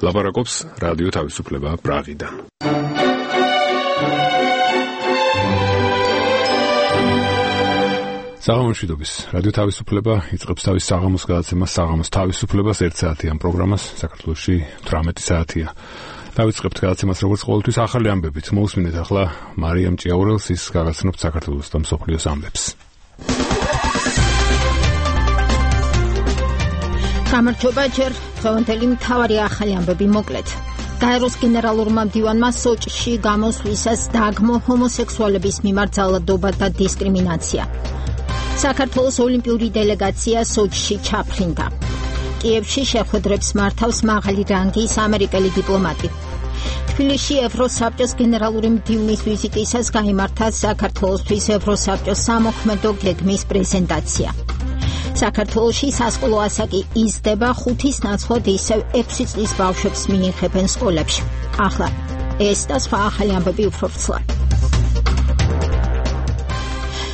ლაპარაკობს რადიო თავისუფლება პრაღიდან. საღამოშვიდობის რადიო თავისუფლება იწყებს თავის საღამოს გადაცემას საღამოს თავისუფლებას 1 საათიან პროგრამას საქართველოში 18 საათია. დავიწყებთ გადაცემას როგორც ყოველთვის ახალი ამბებით. მოусმინეთ ახლა მარიამ ჭიაურელს ის გაგაცნობთ საქართველოს და მსოფლიოს ამბებს. გამარჯობა ჯერ დღევანდელი მთავარი ახალი ამბები მოკლედ. გაეროს გენერალურმა მდივანმა სოჭში გამოსვლისას დააგმო ჰომოსექსუალების მიმართ ძალადობა და დისკრიმინაცია. საქართველოს ოლიმპიური დელეგაცია სოჭში ჩაფრინდა. კიევში შეხვედრებს მართავს მაღალი რანგის ამერიკელი დიპლომატი. თბილისში ევროსაბჭოს გენერალური მდივნის ვიზიტისას გაიმართა საქართველოსთვის ევროსაბჭოს სამოქმედო გეგმის პრეზენტაცია. საქართველოში სასკოლო ასაკი იზრდება 5-ის ნაცვლად ისევ 6 წლის ბავშვებს მიიღებენ სკოლებში. ახლა ეს და სხვა ახალი ამბები უფრო ვრცლად.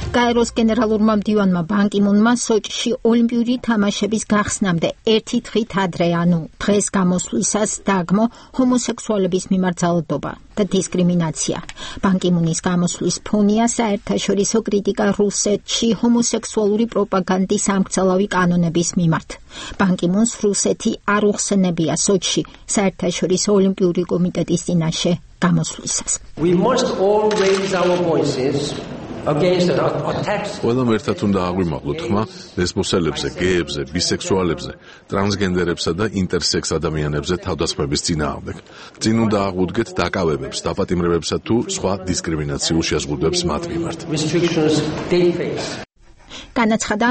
გაეროს გენერალურმა მდივანმა ბან კი მუნმა სოჭში ოლიმპიური თამაშების გახსნამდე ერთი დღით ადრე, ანუ დღეს გამოსვლისას დააგმო ჰომოსექსუალების მიმართ ძალადობა და დისკრიმინაცია. ბან კი მუნის გამოსვლის ფონია საერთაშორისო კრიტიკა რუსეთში ჰომოსექსუალური პროპაგანდის ამქცევი კანონების მიმართ. ბან კი მუნს რუსეთი არ უხსენებია სოჭში საერთაშორისო ოლიმპიური კომიტეტის წინაშე გამოსვლისას. We must all raise our voices ყველამ ერთად უნდა აღვიმაღლოთ ხმა ლესბოსელებზე, გეებზე, ბისექსუალებზე, ტრანსგენდერებსა და ინტერსექს ადამიანებზე თავდასხმების წინააღმდეგ. წინ უნდა აღვუდგეთ დაკავებებს, დაპატიმრებებსა თუ სხვა დისკრიმინაციულ შეზღუდვებს მათ მიმართ. განაცხადა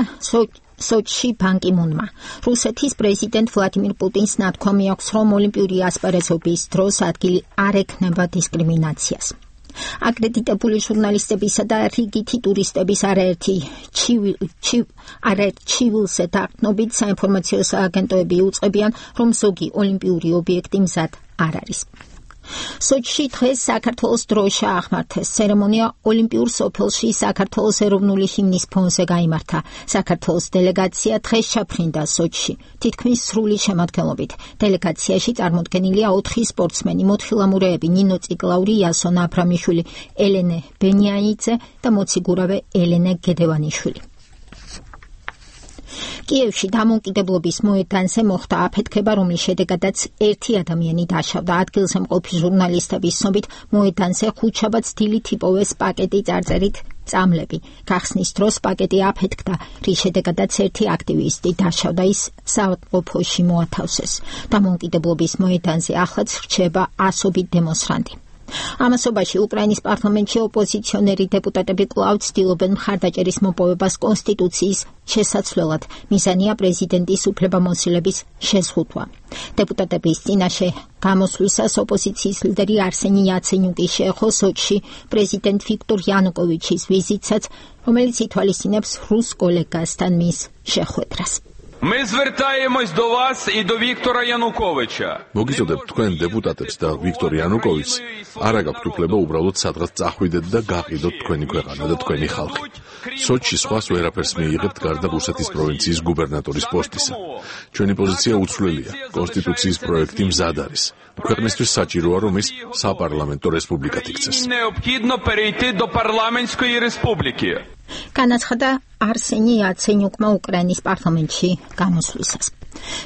სოჭში ბან კი მუნმა. რუსეთის პრეზიდენტ ვლადიმირ პუტინს ნათქვამი აქვს, რომ ოლიმპიური ასპარეზობის დროს ადგილი არ ექნება დისკრიმინაციას. აკრედიტებული ჟურნალისტებისა და რიგითი ტურისტების არაერთი ჩივილზე დაყრდნობით საინფორმაციო სააგენტოები უწყებიან, რომ ზოგი ოლიმპიური ობიექტი მზად არ არის. სოჭში დღეს საქართველოს დროშა აღმართეს. ცერემონია ოლიმპიურ სოფელში საქართველოს ეროვნული ჰიმნის ფონზე გაიმართა. საქართველოს დელეგაცია დღეს ჩაფრინდა სოჭში, თითქმის სრული შემადგენლობით. დელეგაციაში წარმოდგენილია 4 სპორტსმენი, მოთხილამურეები ნინო ციკლაური, იასონ აბრამიშვილი, ელენე ბენიაიძე და მოციგურავე ელენე გედევანიშვილი. კიევში დამოუკიდებლობის მოედანზე მოხდა აფეთქება, რომლის შედეგადაც ერთი ადამიანი დაშავდა. ადგილზე მყოფი ჟურნალისტების ცნობით, მოედანზე ხუთშაბათს დილით იპოვეს პაკეტი წარწერით წამლები. გახსნის დროს პაკეტი აფეთქდა, რის შედეგადაც ერთი აქტივისტი დაშავდა, ის საავადმყოფოში მოათავსეს. დამოუკიდებლობის მოედანზე ახლაც რჩება ასობით დემონსტრანტი. ამასობაში უკრაინის პარლამენტში ოპოზიციონერი დეპუტატები კვლავ ცდილობენ მხარდაჭერის მოპოვებას კონსტიტუციის შესაცვლელად. მიზანია პრეზიდენტის უფლებამოსილების შეზღუდვა. დეპუტატების წინაშე გამოსვლისას ოპოზიციის ლიდერი არსენი იაცენიუკი შეეხო სოჭში პრეზიდენტ ვიქტორ იანუკოვიჩის ვიზიტსაც, რომელიც ითვალისწინებს რუს კოლეგასთან მის შეხვედრას. Мы звертаемся до вас и до Виктора Януковича. მოგიწოდებთ თქვენ დეპუტატებს და ვიქტორ იანუკოვიჩს, არა გაქვთ უფლება უბრალოდ სადღაც წახვიდეთ და გაყიდოთ თქვენი ქვეყანა და თქვენი ხალხი. სოჭში სხვას ვერაფერს მიიღებთ გარდა რუსეთის პროვინციის გუბერნატორის პოსტისა. ჩვენი პოზიცია უცვლელია. კონსტიტუციის პროექტი მზად არის. ქვეყნისთვის საჭიროა, რომ ის საპარლამენტო რესპუბლიკად იქცეს. Необхідно перейти до парламентської республіки. განაცხადა არსენი იაცენიუკმა უკრაინის პარლამენტში გამოსვლისას.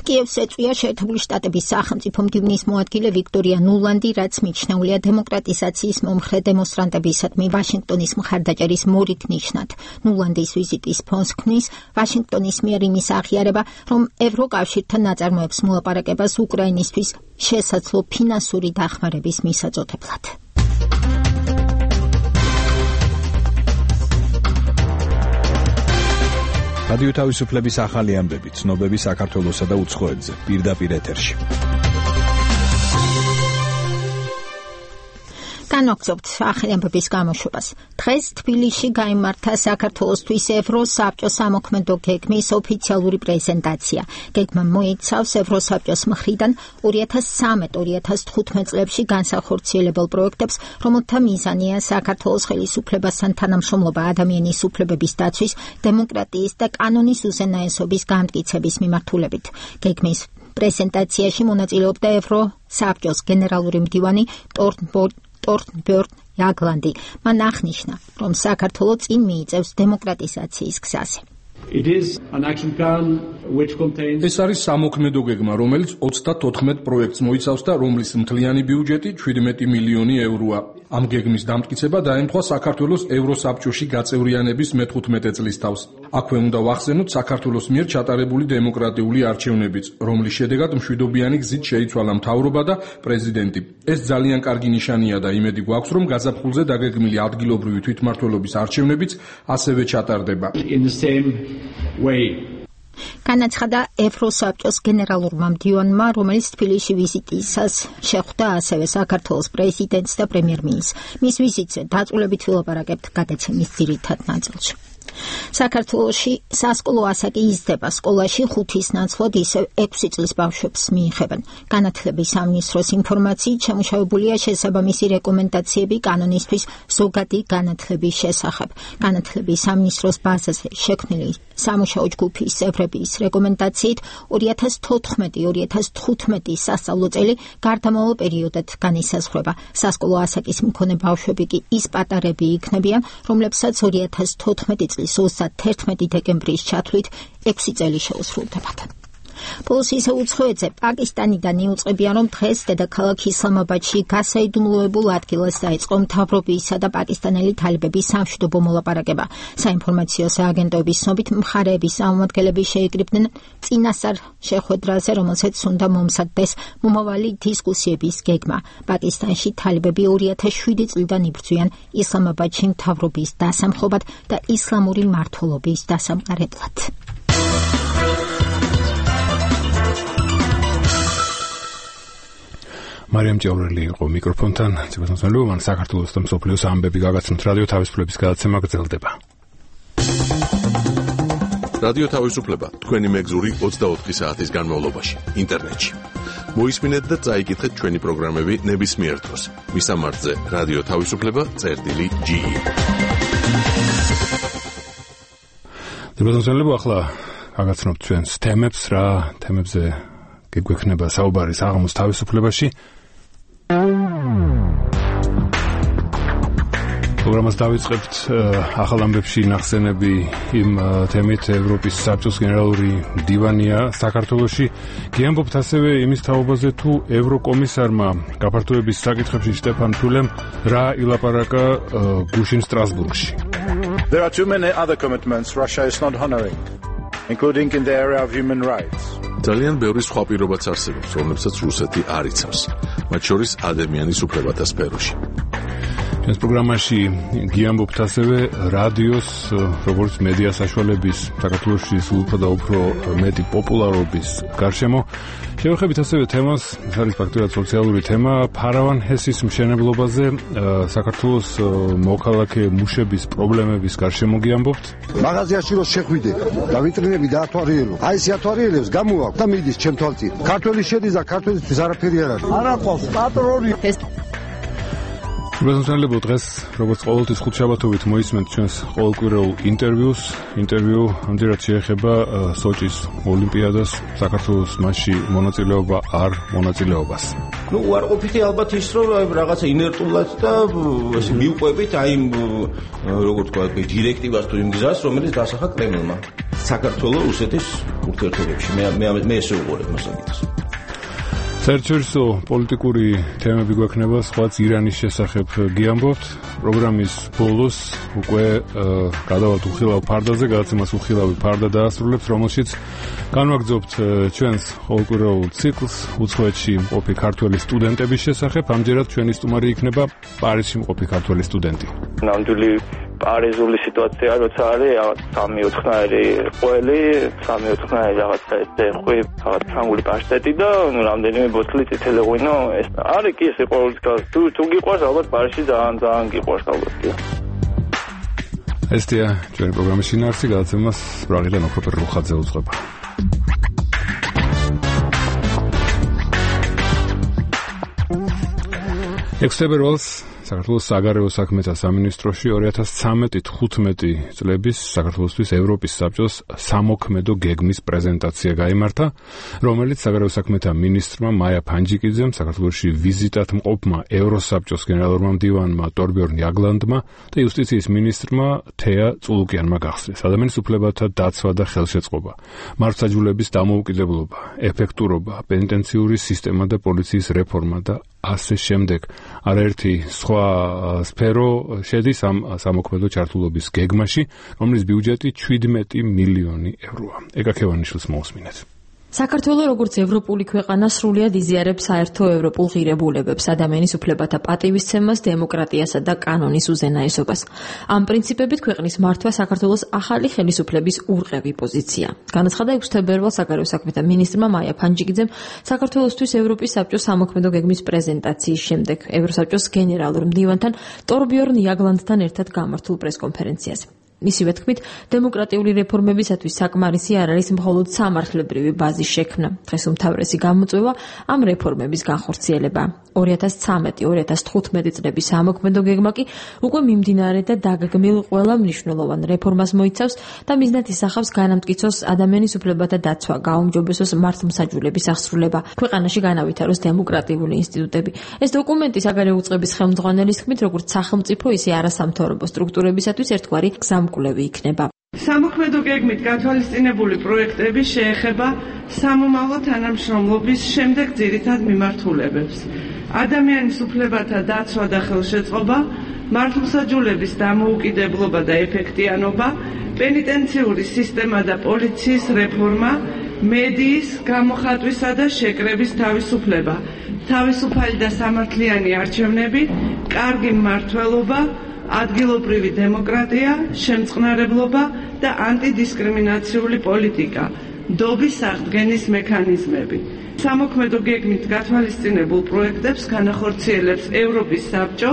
კიევს ეწვია შეერთებული შტატების სახელმწიფო მდივნის მოადგილე ვიქტორია ნულანდი, რაც მიჩნეულია დემოკრატიზაციის მომხრე დემონსტრანტებისადმი ვაშინგტონის მხარდაჭერის მორიგ ნიშნად. ნულანდის ვიზიტის ფონს ქმნის ვაშინგტონის მიერ იმის აღიარება, რომ ევროკავშირთან ნაწარმოებს მოლაპარაკებას უკრაინისთვის შესაძლო ფინანსური დახმარების მისაწოდებლად. რადიო თავისუფლების ახალი ამბები, ცნობები საქართველოსა და უცხოეთზე, პირდაპირ ეთერში. განვაგრძობთ ახალი ამბების გამოშვებას. დღეს თბილისში გაიმართა საქართველოსთვის ევროსაბჭოს სამოქმედო გეგმის ოფიციალური პრეზენტაცია. გეგმა მოიცავს ევროსაბჭოს მხრიდან 2013-2015 წლებში განსახორციელებელ პროექტებს, რომელთა მიზანია საქართველოს ხელისუფლებასთან თანამშრომლობა ადამიანის უფლებების დაცვის, დემოკრატიის და კანონის უზენაესობის გამტკიცების მიმართულებით. გეგმის პრეზენტაციაში მონაწილეობდა ევროსაბჭოს გენერალური მდივანი ტორნბერნ იაგლანდი. მან აღნიშნა, რომ საქართველო წინ მიიწევს დემოკრატიზაციის გზაზე. ეს არის სამოქმედო გეგმა, რომელიც 34 პროექტს მოიცავს და რომლის მთლიანი ბიუჯეტი 17 მილიონი ევროა. ამ გეგმის დამტკიცება დაემთხვა საქართველოს ევროსაბჭოში გაწევრიანების მე-15 წლის თავს. აქვე უნდა ვახსენოთ საქართველოს მიერ ჩატარებული დემოკრატიული არჩევნებიც, რომლის შედეგად მშვიდობიანი გზით შეიცვალა მთავრობა და პრეზიდენტი. ეს ძალიან კარგი ნიშანია და იმედი გვაქვს, რომ გაზაფხულზე დაგეგმილი ადგილობრივი თვითმმართველობის არჩევნებიც ასევე ჩატარდება. განაცხადა ევროსაბჭოს გენერალურმა მდივანმა, რომელიც თბილისში ვიზიტისას შეხვდა ასევე საქართველოს პრეზიდენტს და პრემიერ-მინისტრს. მის ვიზიტზე დაწვრილებით ვილაპარაკებთ გადაცემის ძირითად ნაწილში. საქართველოში სასკოლო ასაკი იზრდება, სკოლაში 5-ის ნაცვლად ისევ 6 წლის ბავშვებს მიიღებენ. განათლების სამინისტროს ინფორმაციით შემუშავებულია შესაბამისი რეკომენდაციები კანონისთვის ზოგადი განათლების შესახებ. განათლების სამინისტროს ბაზაზე შექმნილი სამუშაო ჯგუფის წევრების რეკომენდაციით 2014-2015 სასწავლო წელი გარდამავალ პერიოდად განისაზღვრება. სასკოლო ასაკის მქონე ბავშვები კი ის პატარები იქნებიან, რომლებსაც 2014 წლის 31 დეკემბრის ჩათვლით 6 წელი შეუსრულდებათ. ბოლოს ისე უცხოეთზე პაკისტანიდან იუწყებიან, რომ დღეს დედაქალაქ ისლამაბადში გასაიდუმლოებულ ადგილას დაიწყო მთავრობისა და პაკისტანელი თალიბების სამშვიდობო მოლაპარაკება. საინფორმაციო სააგენტოების ცნობით მხარეების წარმომადგენლები შეიკრიბნენ წინასწარ შეხვედრაზე, რომელსაც უნდა მომზადდეს მომავალი დისკუსიების გეგმა. პაკისტანში თალიბები 2007 წლიდან იბრძვიან ისლამაბადში მთავრობის დასამხობად და ისლამური მმართველობის დასამყარებლად. მარიამ ჭაურელი იყო მიკროფონთან. ცებათმოწმენელო, მან საქართველოს და მსოფლიოს ამბები გაგაცნოთ რადიო თავისუფლების გადაცემა გრძელდება. რადიო თავისუფლება თქვენი მეგზური 24 საათის განმავლობაში ინტერნეტში. მოისმინეთ და წაიკითხეთ ჩვენი პროგრამები ნებისმიერ დროს. მისამართზე რადიო თავისუფლება.ge. ცებათმოწმენელო, ახლა გაგაცნობთ ჩვენს თემებს, რა თემებზე გეგვექნება საუბარი საღამოს თავისუფლებაში. პროგრამას დავიწყებთ ახალ ამბებში ნახსენები იმ თემით. ევროპის საბჭოს გენერალური მდივანია საქართველოში. გიამბობთ ასევე იმის თაობაზე, თუ ევროკომისარმა გაფართოების საკითხებში შტეფან ფულემ რა ილაპარაკა გუშინ სტრასბურგში. There are too many other commitments Russia is not honoring, including in the area of human rights. ძალიან ბევრი სხვა პირობაც არსებობს, რომლებსაც რუსეთი არ იცავს, მათ შორის ადამიანის უფლებათა სფეროში. ჩვენს პროგრამაში გიამბობთ ასევე რადიოს, როგორც მედია საშუალების საქართველოში უფრო და უფრო მეტი პოპულარობის გარშემო. შევეხებით ასევე თემას, ეს არის ფაქტურად სოციალური თემა, ფარავან ჰესის მშენებლობაზე, საქართველოს მოქალაქე მუშების პრობლემების გარშემო გიამბობთ. მაღაზიაში რო შეხვიდე და ვიტრინები დაათვალიერო. აი ეს ათვალიერებს გამოვაქვს და მიდის ჩემ თვალწინ. ქართველი შედის და ქართველისთვის არაფერი არ არის. არა ყავს პატრონი. მოგესალმებით დღეს, როგორც ყოველთვის ხუთშაბათობით მოისმენთ ჩვენს ყოველკვირეულ ინტერვიუს. ინტერვიუ ამჯერად შეეხება სოჭის ოლიმპიადას, საქართველოს მასში მონაწილეობა არ მონაწილეობას. უარყოფითი ალბათ ის, რომ რაღაცა ინერტულად და ესე მიუყვებით აი როგორ თქვა, დირექტივას თუ იმ გზას, რომელიც დასახა კრემლმა. საქართველოს რუსეთის ურთიერთობებში. მე ესე უყურებ მასაკითხს. საერთაშორისო პოლიტიკური თემები გვექნება, სხვაც ირანის შესახებ გიამბობთ. პროგრამის ბოლოს უკვე გადავალთ უხილავ ფარდაზე, გადაცემას უხილავი ფარდა დაასრულებთ, რომელშიც განვაგრძობთ ჩვენს ყოველკვირეულ ციკლს უცხოეთში მყოფი ქართველი სტუდენტების შესახებ. ამჯერად ჩვენი სტუმარი იქნება პარიზში მყოფი ქართველი სტუდენტი. ნამდვილი პარიზული სიტუაცია, როცა არის 3-4-ნაირი ყველი, 3-4-ნაირი რაღაცა ხვი, რაღაც ფრანგული პაშტეტი და რამდენიმე ბოთლი წითელი ღვინო. ეს არის კი ესე ყოველთვის თუ გიყვარს ალბათ პარიზში ძალიან გიყვარს ალბათ კი. ესეა ჩვენი პროგრამის შინაარსი, გადაცემას ბრაღიდან ოქრო პერლუხაძე უძღვება. ექვსთებერვალს საქართველოს საგარეო საქმეთა სამინისტროში 2013-15 წლების საქართველოსთვის ევროპის საბჭოს სამოქმედო გეგმის პრეზენტაცია გაიმართა, რომელიც საგარეო საქმეთა მინისტრმა მაია ფანჯიკიძემ, საქართველოში ვიზიტად მყოფმა ევროსაბჭოს გენერალურმა მდივანმა ტორბიორნ იაგლანდმა და იუსტიციის მინისტრმა თეა წულუკიანმა გახსნეს. ადამიანის უფლებათა დაცვა და ხელშეწყობა, მართლმსაჯულების დამოუკიდებლობა, ეფექტურობა, პენიტენციური სისტემა და პოლიციის რეფორმა და ასე შემდეგ. არაერთი სხვა სფერო შედის ამ სამოქმედო ჩართულობის გეგმაში, რომლის ბიუჯეტი 17 მილიონი ევროა. ეკაქევანიშვილს მოусმინეთ. საქართველოს როგორც ევროპული ქვეყანა სრულიად იზიარებს საერთო ევროპულ ღირებულებებს, ადამიანის უფლებათა პატივისცემას, დემოკრატიასა და კანონის უზენაესობას. ამ პრინციპებით ქვეყნის მართვა საქართველოს ახალი ხელისუფლების ურყევი პოზიცია. განაცხადა 6 თებერვალს საგარეო საქმეთა მინისტრმა მაია ფანჯიკიძემ საქართველოსთვის ევროპის საბჭოს სამოქმედო გეგმის პრეზენტაციის შემდეგ ევროსაბჭოს გენერალურ მდივანთან ტორბიორნ იაგლანდთან ერთად გამართულ პრესკონფერენციაზე. მისივე თქმით, დემოკრატიული რეფორმებისათვის საკმარისი არ არის მხოლოდ სამართლებრივი ბაზის შექმნა. დღეს უმთავრესი გამოწვევა ამ რეფორმების განხორციელება. 2013-2015 წლების სამოქმედო გეგმა კი უკვე მიმდინარე და დაგეგმილ ყველა მნიშვნელოვან რეფორმას მოიცავს და მიზნად ისახავს განამტკიცოს ადამიანის უფლებათა დაცვა, გაუმჯობესოს მართლმსაჯულების აღსრულება, ქვეყანაში განავითაროს დემოკრატიული ინსტიტუტები. ეს დოკუმენტი საგარეო უწყების ხელმძღვანელის თქმით, როგორც სახელმწიფო, ისე არასამთავრობო სტრუქტურებისათვის ერთგვარი გზამკვლევი იქნება. სამოქმედო გეგმით გათვალისწინებული პროექტები შეეხება სამომავლო თანამშრომლობის შემდეგ ძირითად მიმართულებებს. ადამიანის უფლებათა დაცვა და ხელშეწყობა, მართლმსაჯულების დამოუკიდებლობა და ეფექტიანობა, პენიტენციური სისტემა და პოლიციის რეფორმა, მედიის, გამოხატვისა და შეკრების თავისუფლება, თავისუფალი და სამართლიანი არჩევნები, კარგი მმართველობა, ადგილობრივი დემოკრატია, შემწყნარებლობა და ანტიდისკრიმინაციული პოლიტიკა, დობის აღდგენის მექანიზმები. სამოქმედო გეგმით გათვალისწინებულ პროექტებს განახორციელებს ევროპის საბჭო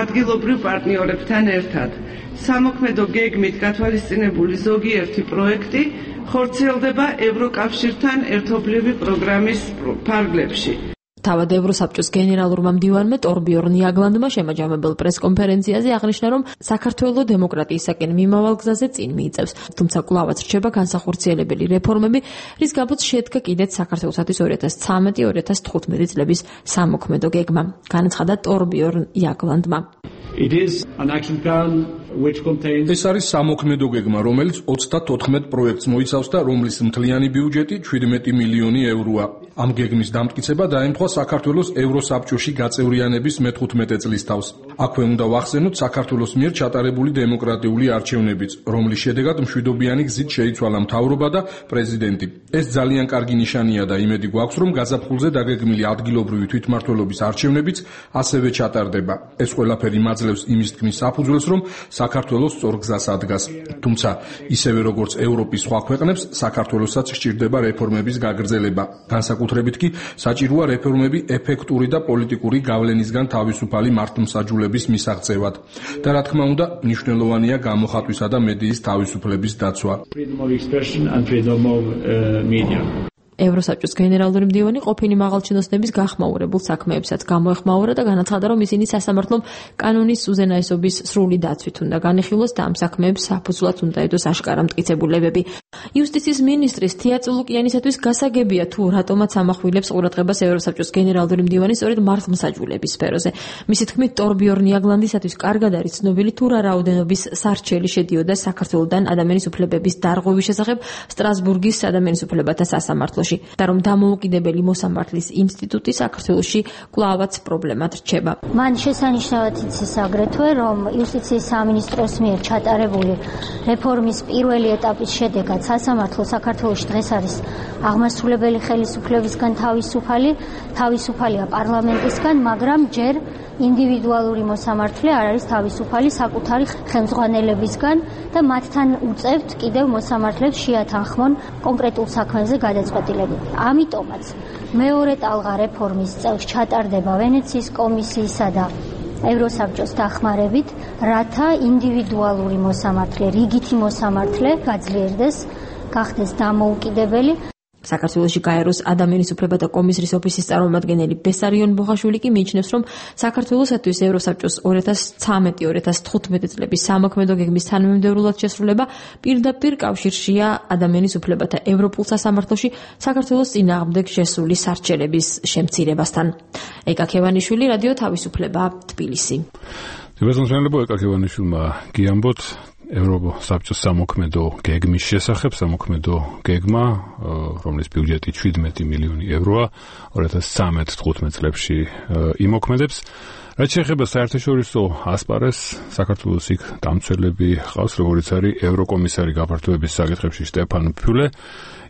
ადგილობრივ პარტნიორებთან ერთად. სამოქმედო გეგმით გათვალისწინებული ზოგიერთი პროექტი ხორციელდება ევროკავშირთან ერთობლივი პროგრამის ფარგლებში. თავად ევროსაბჭოს გენერალურმა მდივანმა ტორბიორნ იაგლანდმა შემაჯამებელ პრესკონფერენციაზე აღნიშნა, რომ საქართველოს დემოკრატიისაკენ მიმავალ გზაზე წინ მიიწევს, თუმცა კვლავაც რჩება განსახორციელებელი რეფორმები, რის გამოც შედგა კიდეც საქართველოსთვის 2013-2015 წლების სამოქმედო გეგმა. განაცხადა ტორბიორნ იაგლანდმა. ეს არის სამოქმედო გეგმა, რომელიც 34 პროექტს მოიცავს და რომლის მთლიანი ბიუჯეტი 17 მილიონი ევროა. ამ გეგმის დამტკიცება დაემთხვა საქართველოს ევროსაბჭოში გაწევრიანების მე-15 წლის თავს. აქვე უნდა ვახსენოთ საქართველოს მიერ ჩატარებული დემოკრატიული არჩევნებიც, რომლის შედეგად მშვიდობიანი გზით შეიცვალა მთავრობა და პრეზიდენტი. ეს ძალიან კარგი ნიშანია და იმედი გვაქვს, რომ გაზაფხულზე დაგეგმილი ადგილობრივი თვითმმართველობის არჩევნებიც ასევე ჩატარდება. ეს ყველაფერი მაძლევს იმის თქმის საფუძველს, რომ საქართველოს სწორ გზას ადგას. თუმცა, ისევე როგორც ევროპის სხვა ქვეყნებს, საქართველოსაც სჭირდება რეფორმების გაგრძელება. განსაკუთრებით კი საჭიროა რეფორმები ეფექტური და პოლიტიკური გავლენისგან თავისუფალი მართლმსაჯულების მისაღწევად. და რა თქმა უნდა, მნიშვნელოვანია გამოხატვისა და მედიის თავისუფლების დაცვა. ევროსაბჭოს გენერალური მდივანი ყოფილი მაღალჩინოსნების გახმაურებულ საქმეებსაც გამოეხმაურა და განაცხადა, რომ ისინი სასამართლომ კანონის უზენაესობის სრული დაცვით უნდა განიხილოს და ამ საქმეებს საფუძვლად უნდა ედოს აშკარა მტკიცებულებები. იუსტიციის მინისტრის თეა წულუკიანისათვის გასაგებია, თუ რატომაც ამახვილებს ყურადღებას ევროსაბჭოს გენერალური მდივანი სწორედ მართლმსაჯულების სფეროზე. მისი თქმით, ტორბიორნ იაგლანდისათვის კარგად არის ცნობილი, თუ რა რაოდენობის სარჩელი შედიოდა საქართველოსთან ადამიანის უფლებების დარღვევის შესახებ სტრასბურგის ადამიანის უფლებათა სასამართლოში. და რომ დამოუკიდებელი მოსამართლის ინსტიტუტი საქართველოში კვლავაც პრობლემად რჩება. მან შესანიშნავად იცის აგრეთვე, რომ იუსტიციის სამინისტროს მიერ ჩატარებული რეფორმის პირველი ეტაპის შედეგად სასამართლო საქართველოში დღეს არის აღმასრულებელი ხელისუფლებისგან თავისუფალია პარლამენტისგან, მაგრამ ჯერ ინდივიდუალური მოსამართლე არ არის თავისუფალი საკუთარი ხელმძღვანელებისგან და მათთან უწევთ კიდევ მოსამართლებს შეათანხმონ კონკრეტულ საქმეზე გადაწყვეტილება. ამიტომაც მეორე ტალღა რეფორმის წელს ჩატარდება ვენეციის კომისიისა და ევროსაბჭოს დახმარებით, რათა ინდივიდუალური მოსამართლე, რიგითი მოსამართლე გაძლიერდეს, გახდეს დამოუკიდებელი. საქართველოში გაეროს ადამიანის უფლებათა კომისრის ოფისის წარმომადგენელი ბესარიონ ბოხაშვილი კი მიიჩნევს, რომ საქართველოსათვის ევროსაბჭოს 2013-2015 წლების სამოქმედო გეგმის თანამიმდევრულად შესრულება პირდაპირ კავშირშია ადამიანის უფლებათა ევროპულ სასამართლოში საქართველოს წინააღმდეგ შესული სარჩელების შემცირებასთან. ეკა ქევანიშვილი, რადიო თავისუფლება, თბილისი. დიალოგმსმენელებო ეკა ქევანიშვილმა გიამბოთ ევროსაბჭოს სამოქმედო გეგმის შესახებ. სამოქმედო გეგმა, რომლის ბიუჯეტი 17 მილიონი ევროა, 2013-15 წლებში იმოქმედებს. რაც შეეხება საერთაშორისო ასპარეზს, საქართველოს იქ დამცველები ჰყავს, როგორიც არის ევროკომისარი გაფართოების საკითხებში სტეფან ფიულე.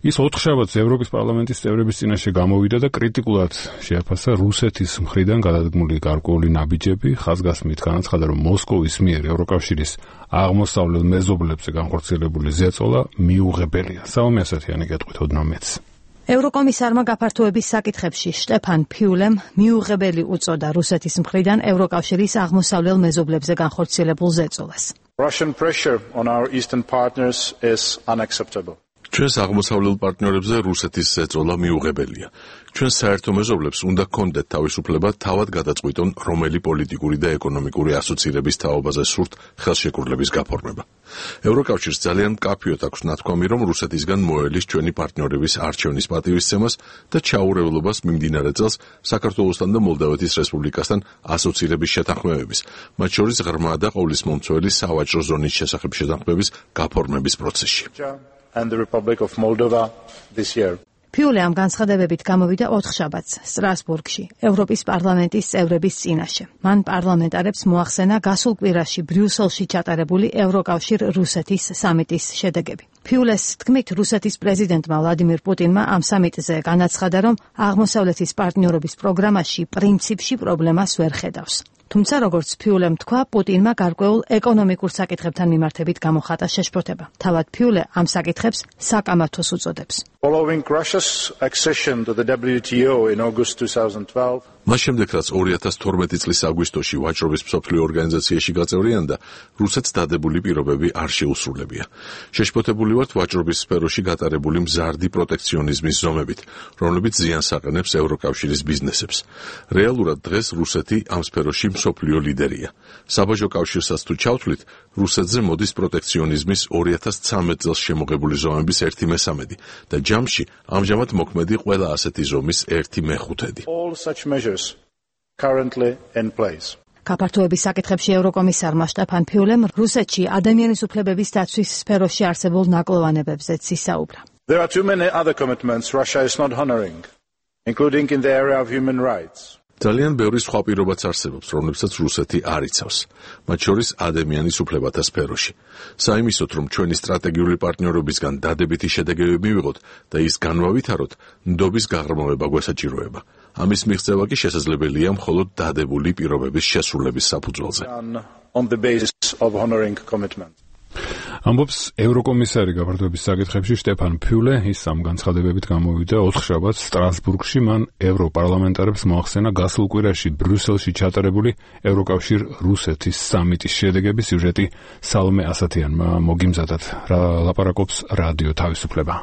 ის 4 შაბათს ევროპის პარლამენტის წევრების წინაშე გამოვიდა და კრიტიკულად შეაფასა რუსეთის მხრიდან გადადგმული გარკვეული ნაბიჯები, ხაზგასმით განაცხადა, რომ მოსკოვის მიერ ევროკავშირის აღმოსავლელ მეზობლებზე განხორციელებული ზეწოლა მიუღებელია. საომე ასათიანი გეტყვით ოდნავ მეც. ევროკომისარმა გაფართოების საკითხებში შტეფან ფიულემ მიუღებელი უწოდა რუსეთის მხრიდან ევროკავშირის აღმოსავლელ მეზობლებზე განხორციელებულ ზეწოლას. Russian pressure on our eastern partners is unacceptable. ჩვენს აღმოსავლელ პარტნიორებზე რუსეთის ზეწოლა მიუღებელია. ჩვენ საერთო მეზობლებს უნდა გქონდეთ თავისუფლება თავად გადაწყვიტონ, რომელი პოლიტიკური და ეკონომიკური ასოცირების თაობაზე სურთ ხელშეკრულების გაფორმება. ევროკავშირს ძალიან მკაფიოდ აქვს ნათქვამი, რომ რუსეთისგან მოელის ჩვენი პარტნიორების არჩევნის პატივისცემას და ჩაურევლობას მიმდინარე წელს საქართველოსთან და მოლდავეთის რესპუბლიკასთან ასოცირების შეთანხმებების, მათ შორის ღრმა და ყოვლისმომცველი სავაჭრო ზონის შესახებ შეთანხმების გაფორმების პროცესში. And the Republic of Moldova this year. ფიულე ამ განცხადებებით გამოვიდა 4 შაბათს სტრასბურგში, ევროპის პარლამენტის წევრების წინაშე. მან პარლამენტარებს მოახსენა გასულ კვირაში ბრიუსელში ჩატარებული ევროკავშირ-რუსეთის სამიტის შედეგები. ფიულეს თქმით, რუსეთის პრეზიდენტმა ვლადიმირ პუტინმა ამ სამიტზე განაცხადა, რომ აღმოსავლეთის პარტნიორობის პროგრამაში პრინციპში პრობლემას ვერ ხედავს. თუმცა, როგორც ფიულემ თქვა, პუტინმა გარკვეულ ეკონომიკურ საკითხებთან მიმართებით გამოხატა შეშფოთება. თავად ფიულე ამ საკითხებს საკამათოს უწოდებს. Following Russia's accession to the WTO in August 2012, მას შემდეგ, რაც 2012 წლის აგვისტოში ვაჭრობის მსოფლიო ორგანიზაციაში გაწევრიანდა, რუსეთს დადებული პირობები არ შეუსრულებია. შეშფოთებული ვართ ვაჭრობის სფეროში გატარებული მზარდი პროტექციონიზმის ზომებით, რომლებიც ზიანს აყენებს ევროკავშირის ბიზნესებს. რეალურად დღეს რუსეთი ამ სფეროში მსოფლიო ლიდერია. საბაჟო კავშირსაც თუ ჩავთვლით, რუსეთზე მოდის პროტექციონიზმის 2013 წელს შემოღებული ზომების 1/13 და ჯამში ამჟამად მოქმედი ყველა ასეთი ზომის 1/5. all such measures currently in place. გაფართოების საკითხებში ევროკომისარმა შტეფან ფიულემ რუსეთში ადამიანის უფლებების დაცვის სფეროში არსებულ ნაკლოვანებებზეც ისაუბრა. There are too many other commitments Russia is not honoring, including in the area of human rights. ძალიან ბევრი სხვა პირობაც არსებობს, რომლებსაც რუსეთი არ იცავს, მათ შორის ადამიანის უფლებათა სფეროში. საიმისოდ, რომ ჩვენი სტრატეგიული პარტნიორობისგან დადებითი შედეგები მივიღოთ და ის განვავითაროთ, ნდობის გაღრმავება გვესაჭიროება. ამის მიღწევა კი შესაძლებელია მხოლოდ დადებული პირობების შესრულების საფუძველზე. On the basis of honoring commitments. ამბობს ევროკომისარი გაფართოების საკითხებში შტეფან ფიულე. ის ამ განცხადებებით გამოვიდა 4 შაბათს სტრასბურგში. მან ევროპარლამენტარებს მოახსენა გასულ კვირაში ბრიუსელში ჩატარებული ევროკავშირ-რუსეთის სამიტის შედეგების სიუჟეტი საომე ასათიანმა მოგიმზადათ. ლაპარაკობს რადიო თავისუფლება.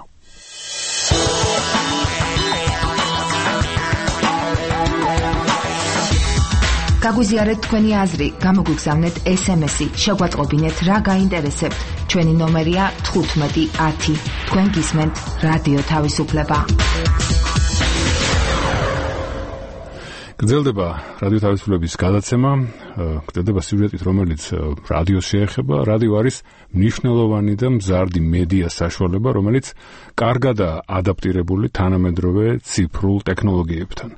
გაგვიზიარეთ თქვენი აზრი, გამოგვიგზავნეთ SMS-ი, შეგვაწყვეტინეთ რა გაინტერესებთ. ჩვენი ნომერია 1510. თქვენ გისმენთ რადიო თავისუფლება. გრძელდება რადიო თავისუფლების გადაცემა, გრძელდება სიუჟეტით, რომელიც რადიოს შეეხება. რადიო არის მნიშვნელოვანი და მზარდი მედია საშუალება, რომელიც კარგადაა ადაპტირებული თანამედროვე ციფრულ ტექნოლოგიებთან.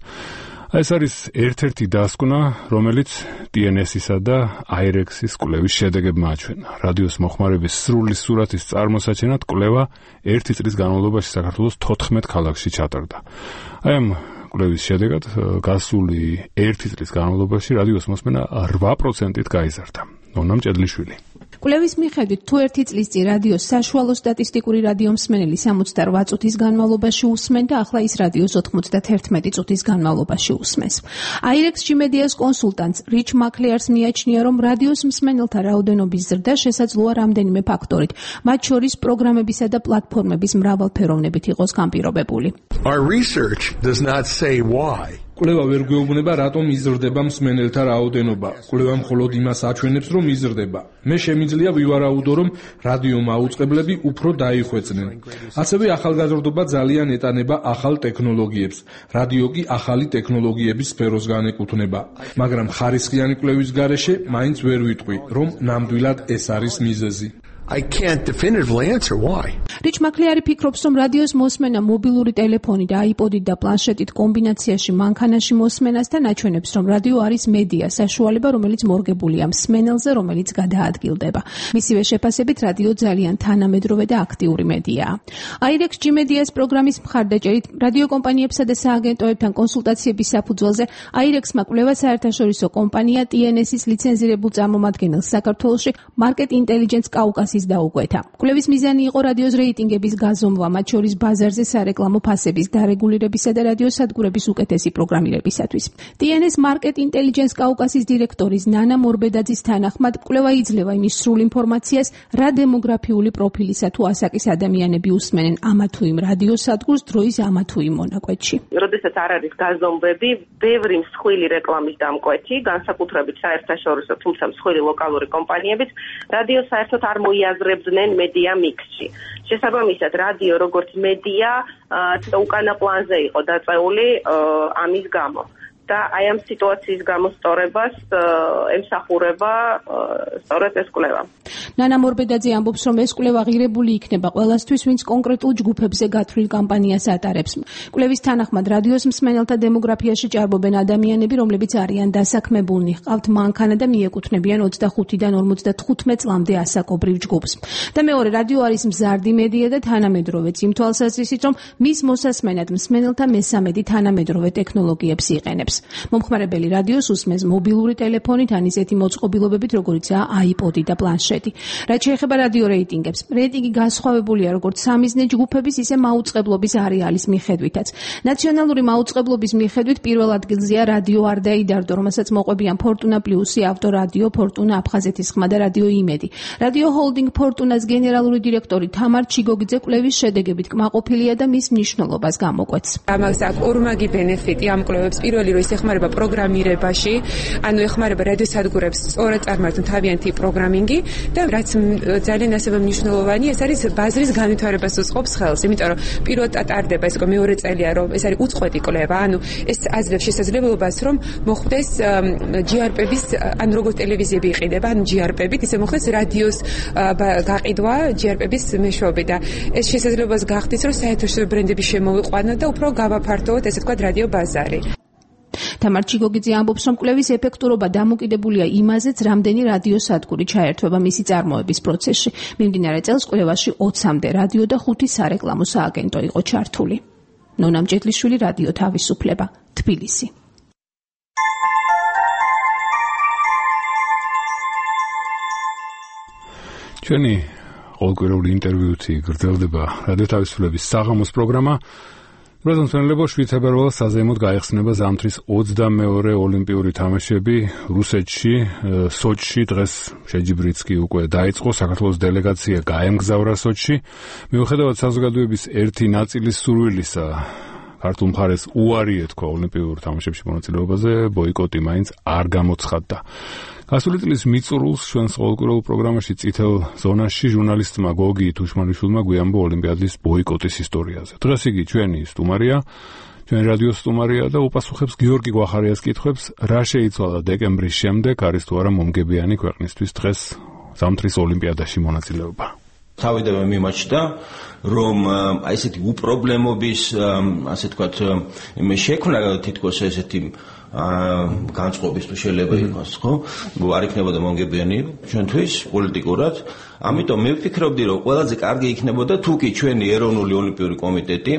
ეს არის ერთ-ერთი დასკვნა, რომელიც TNS-ისა და IREX-ის კვლევის შედეგებმა აჩვენა. რადიოს მოხმარების სრული სურათის წარმოსაჩენად კვლევა 1 წლის განმავლობაში საქართველოს 14 ქალაქში ჩატარდა. აი ამ კვლევის შედეგად გასული 1 წლის განმავლობაში რადიოს მოსმენა 8%-ით გაიზარდა. ნონა მჭედლიშვილი. კვლევის მიხედვით, თუ ერთი წლის წინ რადიოს საშუალო სტატისტიკური რადიომსმენელი 68 წუთის განმავლობაში უსმენდა და ახლა ის რადიოს 91 წუთის განმავლობაში უსმენს. IREX-ში მედიას კონსულტანტ რიჩ მაკლეარს მიაჩნია, რომ რადიოს მსმენელთა რაოდენობის ზრდა შესაძლოა რამდენიმე ფაქტორით, მათ შორის პროგრამებისა და პლატფორმების მრავალფეროვნებით იყოს განპირობებული. Our research does not say why. კვლევა ვერ გვეუბნება, რატომ იზრდება მსმენელთა რაოდენობა. კვლევა მხოლოდ იმას აჩვენებს, რომ იზრდება. მე შემიძლია ვივარაუდო, რომ რადიო მაუწყებლები უფრო დაიხვეწნენ. ასევე ახალგაზრდობა ძალიან ეტანება ახალ ტექნოლოგიებს. რადიო კი ახალი ტექნოლოგიების სფეროს განეკუთვნება. მაგრამ ხარისხიანი კვლევის გარეშე მაინც ვერ ვიტყვი, რომ ნამდვილად ეს არის მიზეზი. I can't definitively answer why. რიჩ მაკლეარი ფიქრობს, რომ რადიოს მოსმენა მობილური ტელეფონი და აიპოდით და პლანშეტით კომბინაციაში მანქანაში მოსმენას და აჩვენებს, რომ რადიო არის მედია, საშუალება, რომელიც მორგებულია მსმენელზე, რომელიც გადაადგილდება. მისივე შეფასებით, რადიო ძალიან თანამედროვე და აქტიური მედიაა. IREX-G მედიას პროგრამის მხარდაჭერით რადიო კომპანიებსა და სააგენტოებთან კონსულტაციების საფუძველზე IREX-მა კვლევა საერთაშორისო კომპანია TNS-ის ლიცენზირებულ წარმომადგენელს საქართველოში Market Intelligence Caucasus დაუკვეთა. კვლევის მიზანი იყო რადიოს რეიტინგების გაზომვა, მათ შორის ბაზარზე სარეკლამო ფასების დარეგულირებისა და რადიო სადგურების უკეთესი პროგრამირებისათვის. TNS Market Intelligence Caucasus დირექტორის ნანა მორბედაძის თანახმად, კვლევა იძლევა იმის სრულ ინფორმაციას, რა დემოგრაფიული პროფილისა თუ ასაკის ადამიანები უსმენენ ამა თუ იმ რადიო სადგურს დროის ამა თუ იმ მონაკვეთში. როდესაც არ არის გაზომვები, ბევრი მსხვილი რეკლამის დამკვეთი, განსაკუთრებით საერთაშორისო, თუმცა მსხვილი ლოკალური კომპანიებიც რადიოს საერთოდ არ მოიაზრებდნენ მედია მიქსში. შესაბამისად, რადიო როგორც მედია უკანა პლანზე იყო დაწეული ამის გამო. და აი ამ სიტუაციის გამოსწორებას ემსახურება სწორედ ეს კვლევა. ნანა მორბედაძე ამბობს, რომ ეს კვლევა ღირებული იქნება ყველასთვის, ვინც კონკრეტულ ჯგუფებზე გათვლილ კამპანიას ატარებს. კვლევის თანახმად, რადიოს მსმენელთა დემოგრაფიაში ჭარბობენ ადამიანები, რომლებიც არიან დასაქმებულნი, ჰყავთ მანქანა და მიეკუთვნებიან 25-დან 55 წლამდე ასაკობრივ ჯგუფს. და მეორე, რადიო არის მზარდი მედია და თანამედროვეც, იმ თვალსაზრისით, რომ მის მოსასმენად მსმენელთა მესამედი თანამედროვე ტექნოლოგიებს იყენებს. მომხმარებელი რადიოს უსმენს მობილური ტელეფონით ან ისეთი მოწყობილობებით, როგორიცაა აიპოდი და პლანშეტი. რაც შეეხება რადიო რეიტინგებს, რეიტინგი განსხვავებულია როგორც სამიზნე ჯგუფების, ისე მაუწყებლობის არეალის მიხედვითაც. ნაციონალური მაუწყებლობის მიხედვით პირველ ადგილზეა რადიო არ დაიდარდო, რომელსაც მოყვებიან ფორტუნა პლუსი, ავტორადიო, ფორტუნა აფხაზეთის ხმა და რადიო იმედი. რადიო ჰოლდინგ ფორტუნას გენერალური დირექტორი თამარ ჩიგოგიძე კვლევის შედეგებით კმაყოფილია და მის მნიშვნელობას გამოკვეთს. ამას აქვს ორმაგი ბენეფიტი ამ კვლევებს. პირველი რომ ეხმარება პროგრამირებაში, ანუ ეხმარება რადიოსადგურებს სწორად წარმართონ თავიანთი პროგრამინგი და რაც ძალიან ასევე მნიშვნელოვანი, ეს არის ბაზრის განვითარებას უწყობს ხელს, იმიტომ რომ პირველად ტარდება ეს მეორე წელია, რომ ეს არის უწყვეტი კვლევა, ანუ ეს აძლევს შესაძლებლობას, რომ მოხდეს GRP-ების, ანუ როგორც ტელევიზიები იყიდება, ანუ GRP-ებით, ისე მოხდეს რადიოს გაყიდვა GRP-ების მეშვეობით და ეს შესაძლებლობას გახდის, რომ საერთაშორისო ბრენდები შემოვიყვანოთ და უფრო გავაფართოვოთ, ესე ვთქვათ, რადიო ბაზარი. თამარ ჩიგოგიძე ამბობს, რომ კვლევის ეფექტურობა დამოკიდებულია იმაზეც, რამდენი რადიო სადგური ჩაერთვება მისი წარმოების პროცესში. მიმდინარე წელს კვლევაში 20-მდე რადიო და 5 სარეკლამო სააგენტო იყო ჩართული. ნონა მჭედლიშვილი, რადიო თავისუფლება, თბილისი. ჩვენი ყოველკვირეული ინტერვიუთი გრძელდება რადიო თავისუფლების საღამოს პროგრამა. Ბრაზილელებო შვეიცარიელს საზეიმოდ გაიხსნება ზამთრის 22 ოლიმპიური თამაშები რუსეთში, სოჩში. დღეს შეჯიბრიც კი უკვე დაიწყო. საქართველოს დელეგაცია გაემგზავრა სოჩში. მიუხედავად საზოგადოების ერთი ნაწილის სურვილისა, ქართულ მხარეს უარი ეთქვა ოლიმპიურ თამაშებში მონაწილეობაზე, ბოიკოტი მაინც არ გამოცხადდა. გასული წლის მიწურულს ჩვენს ყოველკვირეულ პროგრამაში წითელ ზონაში ჟურნალისტმა გოგი თუშმანიშვილმა გვიამბო ოლიმპიადის ბოიკოტის ისტორიაზე. დღეს იგი ჩვენი სტუმარია, ჩვენი რადიოს სტუმარია და უპასუხებს გიორგი გვახარიას კითხვებს, რა შეიცვალა დეკემბრის შემდეგ, არის თუ არა მომგებიანი ქვეყნისთვის დღეს ზამთრის ოლიმპიადაში მონაწილეობა. თავიდანვე მიმაჩნდა, რომ აი ესეთი უპრობლემობის, ასე ვთქვათ, შექმნა თითქოს ესეთი განწყობის თუ შეიძლება იყოს, ხო? არ იქნებოდა მომგებიანი ჩვენთვის პოლიტიკურად. ამიტომ მე ვფიქრობდი, რომ ყველაზე კარგი იქნებოდა თუ კი ჩვენი ეროვნული ოლიმპიური კომიტეტი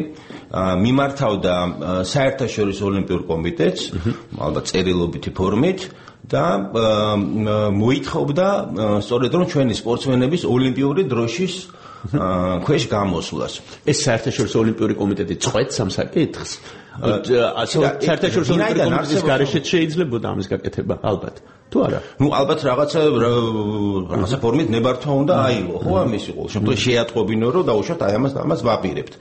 მიმართავდა საერთაშორისო ოლიმპიურ კომიტეტს, ალბათ წერილობითი ფორმით და მოითხოვდა სწორედ რომ ჩვენი სპორტსმენების ოლიმპიური დროშის ქვეშ გამოსვლას. ეს საერთაშორისო ოლიმპიური კომიტეტი წყვეტს ამ საკითხს. საერთაშორისო ოლიმპიური კომიტეტის გარეშეც შეიძლება ამის გაკეთება, ალბათ. თუ არა? ნუ ალბათ რაღაცა ფორმით ნებართვა უნდა აიღო, ხო, ამის იყო. შემთხვევაში შეატყობინო, რომ დაუშვათ აი ამას ვაპირებთ.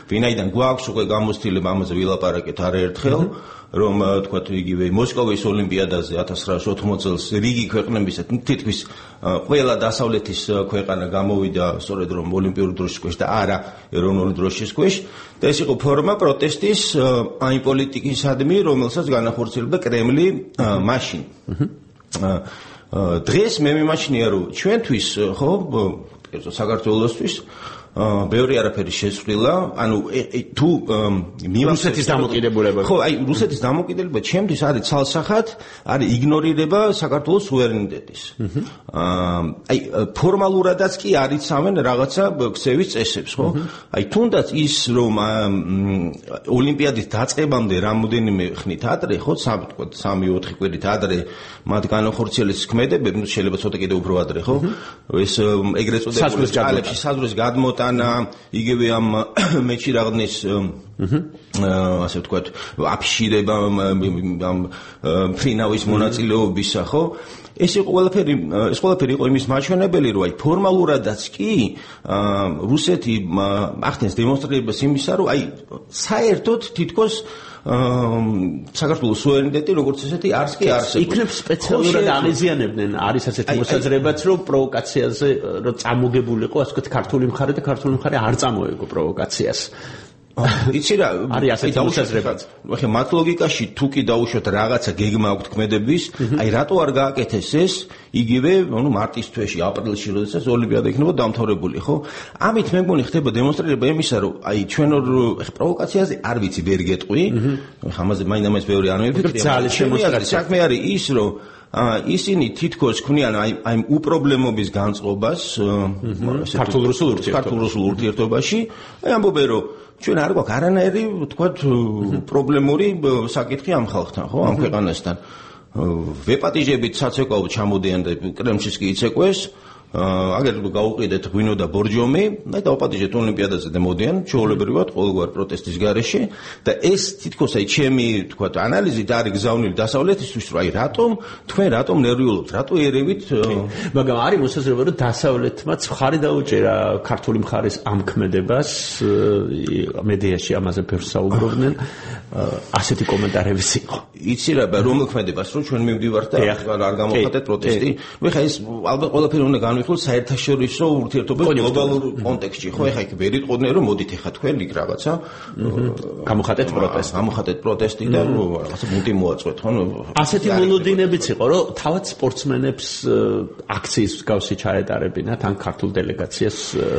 ვინაიდან გვაქვს უკვე გამოცდილება ამაზე ვილაპარაკეთ არაერთხელ, რომ თქვათ იგივე მოსკოვის ოლიმპიადაზე 1980 წელს რიგი ქვეყნებისა თითქმის ყველა დასავლეთის ქვეყანა გამოვიდა სწორედ რომ ოლიმპიური დროშის ქვეშ და არა ეროვნული დროშის ქვეშ და ეს იყო ფორმა პროტესტის აი პოლიტიკისადმი, რომელსაც განახორციელებდა კრემლი მაშინ. დღეს მე მიმაჩნია რომ ჩვენთვის ხო საქართველოსთვის ბევრი არაფერი შეცვლილა, ანუ თუ რუსეთის დამოკიდებულება. ხო, აი რუსეთის დამოკიდებულება ჩემთვის არის ცალსახად, არის იგნორირება საქართველოს სუვერენიტეტის. აი ფორმალურადაც კი არიცავენ რაღაცა ქცევის წესებს, ხო? აი თუნდაც ის რომ ოლიმპიადის დაწყებამდე რამოდენიმე ხნით ადრე, ხო, 3-4 კვირით ადრე მათ განახორციელეს ქმედებები, შეიძლება ცოტა კიდევ უფრო ადრე, ხო? ეს ეგრეთ წოდებული საზღვრის გადმოტანა იგივე ამ მეჩი რაღაცის ასე ვთქვათ აფიშირება ამ ფრინავის მონაწილეობისა ხო ეს ყველაფერი იყო იმის მაჩვენებელი რომ აი ფორმალურადაც კი რუსეთი ახდენს დემონსტრირებას იმისა რომ აი საერთოდ თითქოს საქართველოს სუვერენიტეტი როგორც ესეთი არც კი არსებობს. იქნებ სპეციალურად აღიზიანებდნენ არის ასეთი მოსაზრებაც რომ პროვოკაციაზე რომ წამოგებულიყო ასე ვთქვათ ქართული მხარე და ქართული მხარე არ წამოეგო პროვოკაციას. იცი რა არის ასეთი მოსაზრებაც. ახლა მათ ლოგიკაში თუ კი დაუშვათ რაღაცა გეგმა აქვს ქმედების, აი რატო არ გააკეთეს ეს იგივე ანუ მარტის თვეში, აპრილში, როდესაც ოლიმპიადა იქნება დამთავრებული, ხო? ამით მე მგონი ხდება დემონსტრირება იმისა, რომ აი ჩვენ პროვოკაციაზე არ ვიცი ვერ გეტყვი, ამაზე მაინც ბევრი არ მიფიქრია. ძალიან შემოსწრებული საქმე არის ის, რომ ისინი თითქოს ქმნიან აი უპრობლემობის განწყობას ქართულ-რუსულ ურთიერთობაში, აი ამბობენ რომ ჩვენ არ გვაქვს არანაირი თქვათ პრობლემური საკითხი ამ ხალხთან, ხო, ამ ქვეყანასთან. ვეპატიჟებით საცეკვაოდ ჩამოდიან და კრემლშიც კი იცეკვეს. აგერ გაუყიდეთ ღვინო და ბორჯომი და დაუპატიჟეთ ოლიმპიადაზე და მოდიან ჩვეულებრივად ყოველგვარ პროტესტის გარეშე და ეს თითქოს აი ჩემი თქვათ ანალიზით არის გზავნილი დასავლეთისთვის რომ აი თქვენ რატომ ნერვიულობთ რატო ერევით მაგრამ არის მოსაზრება რომ დასავლეთმაც მხარი დაუჭერა ქართული მხარის ამ ქმედებას მედიაში ამაზე ბევრს საუბრობდნენ ასეთი კომენტარებიც იყო იცი რა რომელ ქმედებას რომ ჩვენ მივდივართ და არ გამოვხატეთ პროტესტი მე ხა ეს ალბათ ყველაფერი უნდა განვიხილოთ საერთაშორისო ურთიერთობების გლობალურ კონტექსტში ხო ეხა იქ ვერ იყოდნენ რომ მოდით ეხა თქვენ იქ რაღაცა გამოვხატეთ პროტესტი და რაღაცა მუნტი მოაწყვეთ ხო ასეთი მოლოდინებიც იყო რომ თავად სპორტსმენებს აქციის მსგავსი ჩაეტარებინათ ან ქართულ დელეგაციას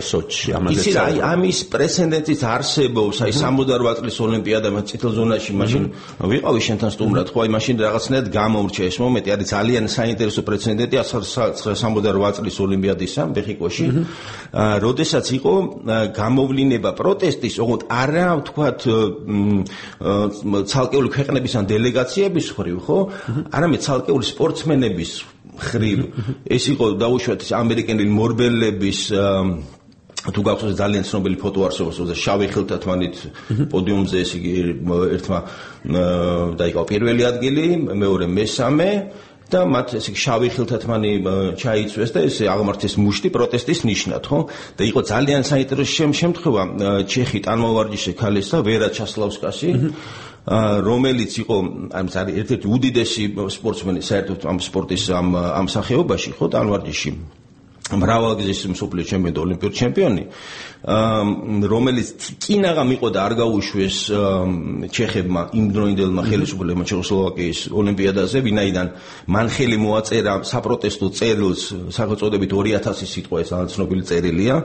სოჩში ამაზე იცი რა აი ამის პრეცედენტიც არსებობს აი 68 წლის ოლიმპიადამ წითელ ზონაში მაშინ ვიყავი შენთან სტუმრად ხო აი მაშინ რაღაცნაირად გამომრჩა ეს მომენტი არის ძალიან საინტერესო პრეცედენტი 68 წლის ოლიმპიადისა მეხიკოში როდესაც იყო გამოვლინება პროტესტის ოღონდ არა ვთქვათ ცალკეული ქვეყნების ან დელეგაციების ხრივ ხო არამედ ცალკეული სპორტსმენების ხრივ ეს იყო დაუშვათ ამერიკელი მორბელების თუ გახსოვს ძალიან ცნობილი ფოტო არსებობს და შავი ხილთათმანით პოდიუმზე ეს იგი ერთმა დაიკავა პირველი ადგილი მეორე მესამე და მათ ესე შავი ხილთათმანი ჩაიწვეს და ესე აღმართეს მუშტი პროტესტის ნიშნად, ხო? და იყო ძალიან საინტერესო შემთხვევა ჩეხი ტანმოვარჯიშე ქალისა ვერა ჩასლავსკასი, რომელიც იყო არის ერთ-ერთი უდიდესი სპორტსმენი საერთოდ ამ სპორტის ამ სახეობაში, ხო, ტანმოვარჯიში. მრავალგზის მსოფლიო ჩემპიონი და ოლიმპიური ჩემპიონი, რომელიც კინაღამ იყო და არ გაუშვეს ჩეხებმა იმ დროინდელმა ხელისუფლებმა ჩეხოსლოვაკიის ოლიმპიადაზე, ვინაიდან მან ხელი მოაწერა საპროტესტო წერილს სახელწოდებით 2000 სიტყვა ეს ძალიან ცნობილი წერილია,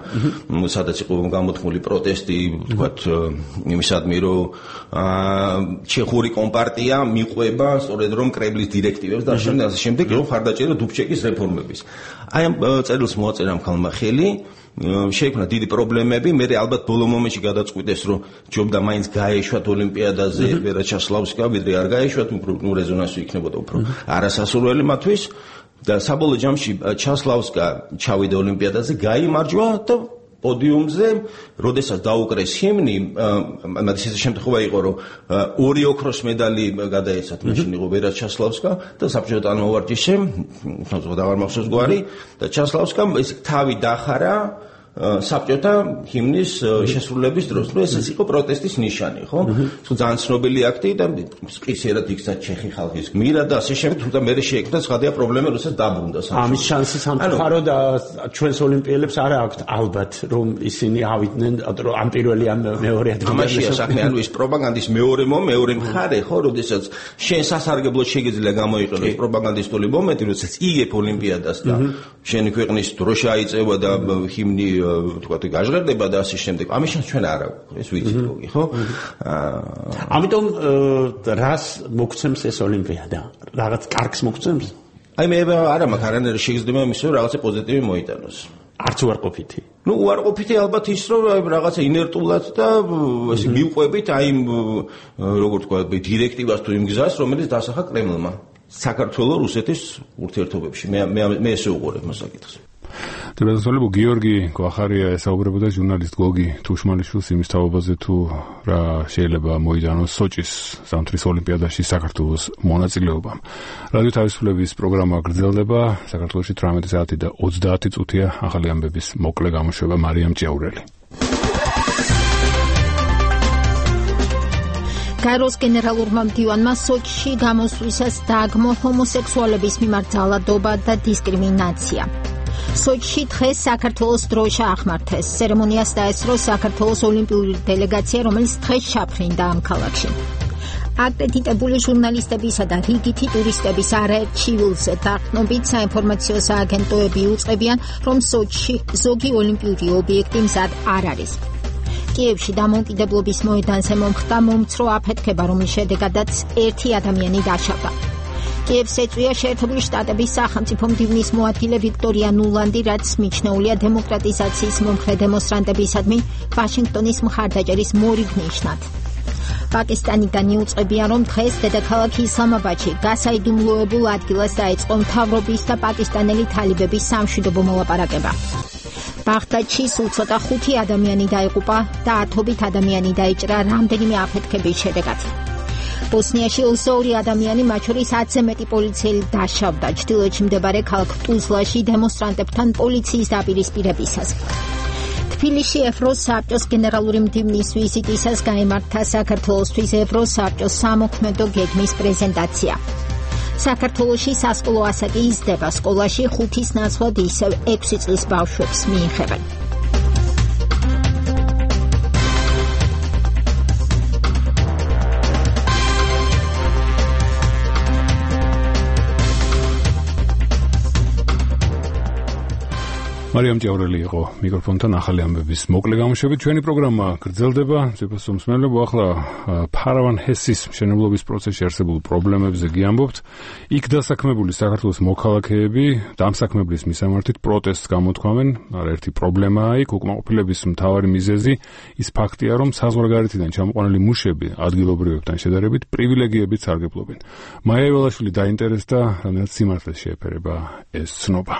სადაც იყო გამოთქმული პროტესტი, ვთქვათ, იმისადმი, რომ ჩეხური კომპარტია მიყვება სწორედ რომ კრემლის დირექტივებს და შემდეგ რომ ხარდაჭერა დუბჩეკის რეფორმების. აი ამ წერილს მოაწერა ამ ხალხმა ხელი შეიქმნა დიდი პრობლემები, მე ალბათ ბოლო მომენტში გადაწყვიტეს, რომ ჯობდა მაინც გაეშვათ ოლიმპიადაზე ვერა ჩასლავსკა, ვიდრე არ გაეშვათ, უფრო რეზონანსი იქნებოდა უფრო არასასურველი მათთვის და საბოლოო ჯამში ჩასლავსკა ჩავიდა ოლიმპიადაზე, გაიმარჯვა და პოდიუმზე, როდესაც დაუკრეს ჰიმნი, მაგის ეს შემთხვევა იყო, რომ ორი ოქროს медали გადაეცათ, მაშინ იყო ვერა ჩასლავსკა და საბჭოთა თანამოვარჯიშე, აღარ მახსოვს გვარი და ჩასლავსკამ ეს თავი დახარა საბჭოთა ჰიმნის შესრულების დროს. ნუ ეს იყო პროტესტის ნიშანი, ხო? ძალიან ცნობილი აქტი და სპეციალად იქცა ჩეხი ხალხის გმირა და ასე შემდეგ, თუმცა მე შეექმნა სხვადასხვა პრობლემა, როდესაც დაბრუნდა საბჭო. ამის შანსი სამწუხაროდ ჩვენს ოლიმპიელებს არ აქვთ ალბათ, რომ ისინი ავიდნენ ამ პირველი ამ მეორე ადგილზე. ამაშია საქმე, ანუ ეს პროპაგანდის მეორე მხარე, ხო, როდესაც შენ სასარგებლოდ შეგიძლია გამოიყენოს პროპაგანდისტული მომენტი, როდესაც იგებ ოლიმპიადას და შენი ქვეყნის დროშა აიწევა და ჰიმნი თქვათ გაჟღერდება და ასე შემდეგ. ამის ჩვენ არ აქვს, ეს ვიცით გოგი, ხო? ამიტომ რას მოგცემს ეს ოლიმპიადა? რაღაც კარგს მოგცემს? აი მე არა მაქვს არანაირი შეგრძნება იმის, რომ რაღაცა პოზიტივი მოიტანოს. არც უარყოფითი. ნუ უარყოფითი ალბათ ის, რომ რაღაცა ინერტულად და ესე მივყვებით აი როგორ თქვა დირექტივას თუ იმ გზას, რომელიც დასახა კრემლმა. საქართველოს რუსეთის ურთიერთობებში. მე ესე უყურებ მოსაკითხს. დედასოლებო გიორგი გვახარია ესაუბრებოდა ჟურნალისტ გოგი თუშმალიშვილს იმის თაობაზე თუ რა შეიძლება მოიტანოს სოჭის ზამთრის ოლიმპიადაში საქართველოს მონაწილეობამ. რადიო თავისუფლების პროგრამა გრძელდება, საქართველოში 18 საათი და 30 წუთია ახალი ამბების მოკლე გამოშვება მარიამ ჭიაურელი. გაეროს გენერალურმა მდივანმა სოჭში გამოსვლისას დააგმო ჰომოსექსუალების მიმართ ძალადობა და დისკრიმინაცია. სოჭში დღეს საქართველოს დროშა ახმართეს. ცერემონიას დაესწრო საქართველოს ოლიმპიური დელეგაცია, რომელიც დღეს ჩაფრინდა ამ ქალაქში. აკრედიტებული ჟურნალისტებისა და რიგითი ტურისტების არაერთ ჩივილზე დაყრდნობით საინფორმაციო სააგენტოები უწყებიან, რომ სოჭში ზოგი ოლიმპიური ობიექტი მზად არ არის. კიევში დამოუკიდებლობის მოედანზე მომხდა მომცრო აფეთქება, რომლის შედეგადაც ერთი ადამიანი დაშავდა. კიევს ეწვია შეერთებული შტატების სახელმწიფო მდივნის მოადგილე ვიქტორია ნულანდი, რაც მიჩნეულია დემოკრატიზაციის მომხრე დემონსტრანტებისადმი ვაშინგტონის მხარდაჭერის მორიგ ნიშნად. პაკისტანიდან იუწყებიან, რომ დღეს დედაქალაქ ისლამაბადში გასაიდუმლოებულ ადგილას დაიწყო მთავრობის და პაკისტანელი თალიბების სამშვიდობო მოლაპარაკება. ბაღდადში სულ ცოტა 5 ადამიანი დაიღუპა და 10-ობით ადამიანი დაიჭრა რამდენიმე აფეთქების შედეგად. ბოსნიაში 22 ადამიანი, მათ შორის 10-ზე მეტი პოლიციელი დაშავდა ჩრდილოეთში მდებარე ქალაქ ტუზლაში დემონსტრანტებთან პოლიციის დაპირისპირებისას. თბილისში ევროსაბჭოს გენერალური მდივნის ვიზიტისას გაიმართა საქართველოსთვის ევროსაბჭოს სამოქმედო გეგმის პრეზენტაცია. საქართველოში სასკოლო ასაკი იზრდება, სკოლაში 5-ის ნაცვლად ისევ 6 წლის ბავშვებს მიიღებენ. მარიამ ჭიაურელი იყო მიკროფონთან ახალი ამბების მოკლე გამოშვებით. ჩვენი პროგრამა გრძელდება. ძვირფას მსმენელებო, ახლა ფარავან ჰესის მშენებლობის პროცესში არსებულ პრობლემებზე გიამბობთ. იქ დასაქმებული საქართველოს მოქალაქეები დამსაქმებლის მისამართით პროტესტს გამოთქვამენ. არაერთი პრობლემაა იქ, უკმაყოფილების მთავარი მიზეზი ის ფაქტია, რომ საზღვარგარეთიდან ჩამოყვანილი მუშები ადგილობრივებთან შედარებით პრივილეგიებით სარგებლობენ. მაია ივალაშვილი დაინტერესდა, რადგან სიმართლეს შეეფერება ეს ცნობა.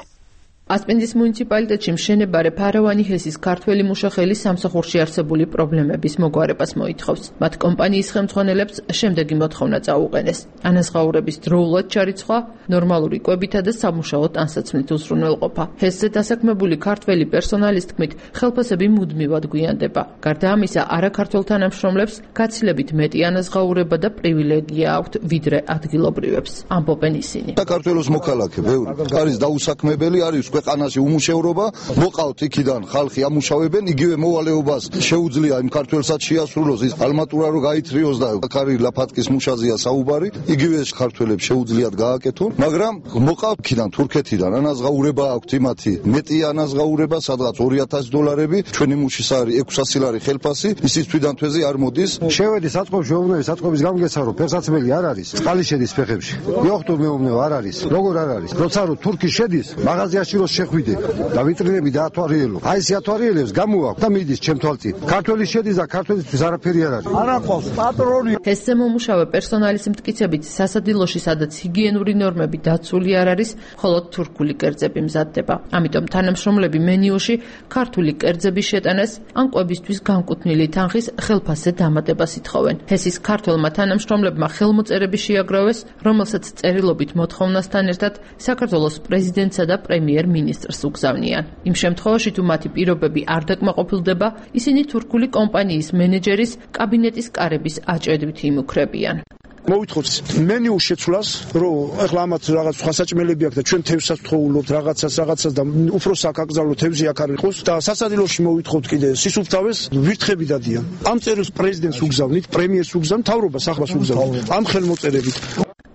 ასპინძის მუნიციპალიტეტში მშენებარე ფარავანი ჰესის ქართველი მუშახელის სამსახურში არსებული პრობლემების მოგვარებას მოითხოვს. მათ კომპანიის ხელმძღვანელებს შემდეგი მოთხოვნა წაუყენეს: ანაზღაურების დროულად ჩარიცხვა, ნორმალური კვებითა და სამუშაო ტანსაცმლით უზრუნველყოფა. ჰესზე დასაქმებული ქართველი პერსონალის თქმით, ხელფასები მუდმივად გვიანდება. გარდა ამისა, არაქართველ თანამშრომლებს გაცილებით მეტი ანაზღაურება და პრივილეგია აქვთ ვიდრე ადგილობრივებს. ამბობენ ისინი. საქართველოს მოქალაქე ბევრი არის დაუსაქმებელი, არის ქვეყანაში უმუშევრობა, მოყავთ იქიდან ხალხი ამუშავებენ, იგივე მოვალეობას შეუძლია იმ ქართველსაც შეასრულოს, ის ალმატურა რო გაითრიოს და აქარი ლაფატკის მუშაზია საუბარი, იგივე ქართველებს შეუძლიათ გააკეთონ, მაგრამ მოყავთ იქიდან თურქეთიდან ანაზღაურება აქვთ იმათი, მეტი ანაზღაურება, სადღაც $2000, ჩვენი მუშის არის 600 ლარი ხელფასი, ისიც თვიდან თვეზე არ მოდის. შევედი საწყობში, მეუბნები საწყობის გამგეცა, რომ ფეხსაცმელი არ არის, წყალი შედის ფეხებში. იოხტურ მეუბნები არ არის. როგორ არ არის? როცა რომ თურქი შედის, მაღაზიაში დროს შეხვიდე და ვიტრინები დაათვალიერო. აი ეს ათვალიერებს გამოაქვს და მიდის ჩემ თვალწინ. ქართველი შედის და ქართველისთვის არაფერი არ არის. არა ყავს პატრონი. თესზე მომუშავე პერსონალის მტკიცებით სასადილოში, სადაც ჰიგიენური ნორმები დაცული არ არის, მხოლოდ თურქული კერძები მზადდება. ამიტომ თანამშრომლები მენიუში ქართული კერძების შეტანას ან კვებისთვის განკუთვნილი თანხის ხელფასზე დამატებას ითხოვენ. ჰესის ქართველმა თანამშრომლებმა ხელმოწერები შეაგროვეს, რომელსაც წერილობით მოთხოვნასთან ერთად საქართველოს პრეზიდენტსა და პრემიერ-მინისტრს უგზავნიან. იმ შემთხვევაში, თუ მათი პირობები არ დაკმაყოფილდება, ისინი თურქული კომპანიის მენეჯერის კაბინეტის კარების აჭედვით იმუქრებიან. მოვითხოვთ მენიუს შეცვლას, რომ ახლა ამათ რაღაც სხვა საჭმელები აქვს და ჩვენ თევზსაც ვთხოვულობთ რაღაცას და უფრო საკაკრძალო თევზი აქ არ იყოს და სასადილოში მოვითხოვთ კიდე სისუფთავეს ვირთხები დადიან. ამ წერილს პრეზიდენტს უგზავნით, პრემიერს უგზავნით, მთავრობას ახლას უგზავნით ამ ხელმოწერებით.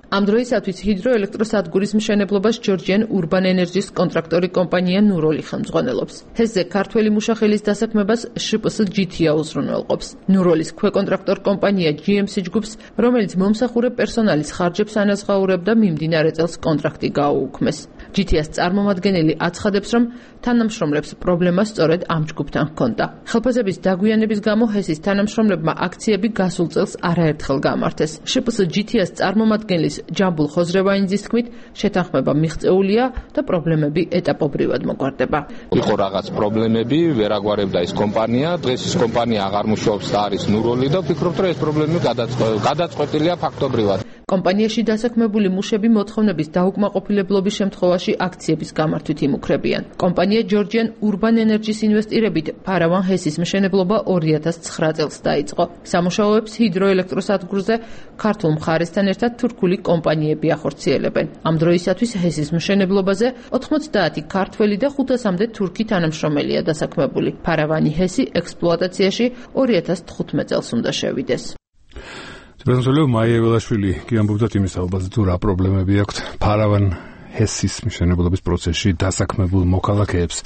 ამ დროისათვის ჰიდროელექტროსადგურის მშენებლობას ჯორჯიან Urban Energy-ს კონტრაქტორი კომპანია ნუროლი ხელმძღვანელობს. ჰესზე ქართველი მუშახელის დასაქმებას შპს GT-ა უზრუნველყოფს. ნუროლის ქვეკონტრაქტორ კომპანია GMC ჯგუფს, რომელიც მომსახურე პერსონალის ხარჯებს ანაზღაურებდა, მიმდინარე წელს კონტრაქტი გააუქმეს. GT-ას წარმომადგენელი აცხადებს, რომ თანამშრომლებს პრობლემა სწორედ ამ ჯგუფთან ჰქონდა. ხელფასების დაგვიანების გამო ჰესის თანამშრომლებმა აქციები გასულ წელს არაერთხელ გამართეს. შპს GT-ას წარმომადგენლის ჯამბულ ხოზრევაინძის თქმით, შეთანხმება მიღწეულია და პრობლემები ეტაპობრივად მოგვარდება. იყო რაღაც პრობლემები, ვერ აგვარებდა ეს კომპანია, დღეს ეს კომპანია აღარ მუშაობს და არის ნუროლი და ვფიქრობ, რომ ეს პრობლემები გადაწყვეტილია ფაქტობრივად. კომპანიაში დასაქმებული მუშები მოთხოვნების დაუკმაყოფილებლობის შემთხვევაში აქციების გამართვით იმუქრებიან. კომპანია ჯორჯიან Urban Energy-ს ინვესტირებით ფარავან ჰესის მშენებლობა 2009 წელს დაიწყო. სამუშაოებს ჰიდროელექტროსადგურზე ქართულ მხარესთან ერთად თურქული კომპანიები ახორციელებენ. ამ დროისათვის ჰესის მშენებლობაზე 90 ქართველი და 500-მდე თურქი თანამშრომელია დასაქმებული. ფარავანი ჰესი ექსპლუატაციაში 2015 წელს უნდა შევიდეს. პრეზიდენტ მაიეველაშვილი კი ამბობდა იმის ალბათ თუ რა პრობლემები აქვთ ფარავან ჰესის მშენებლობის პროცესში დასაქმებულ მოქალაქეებს.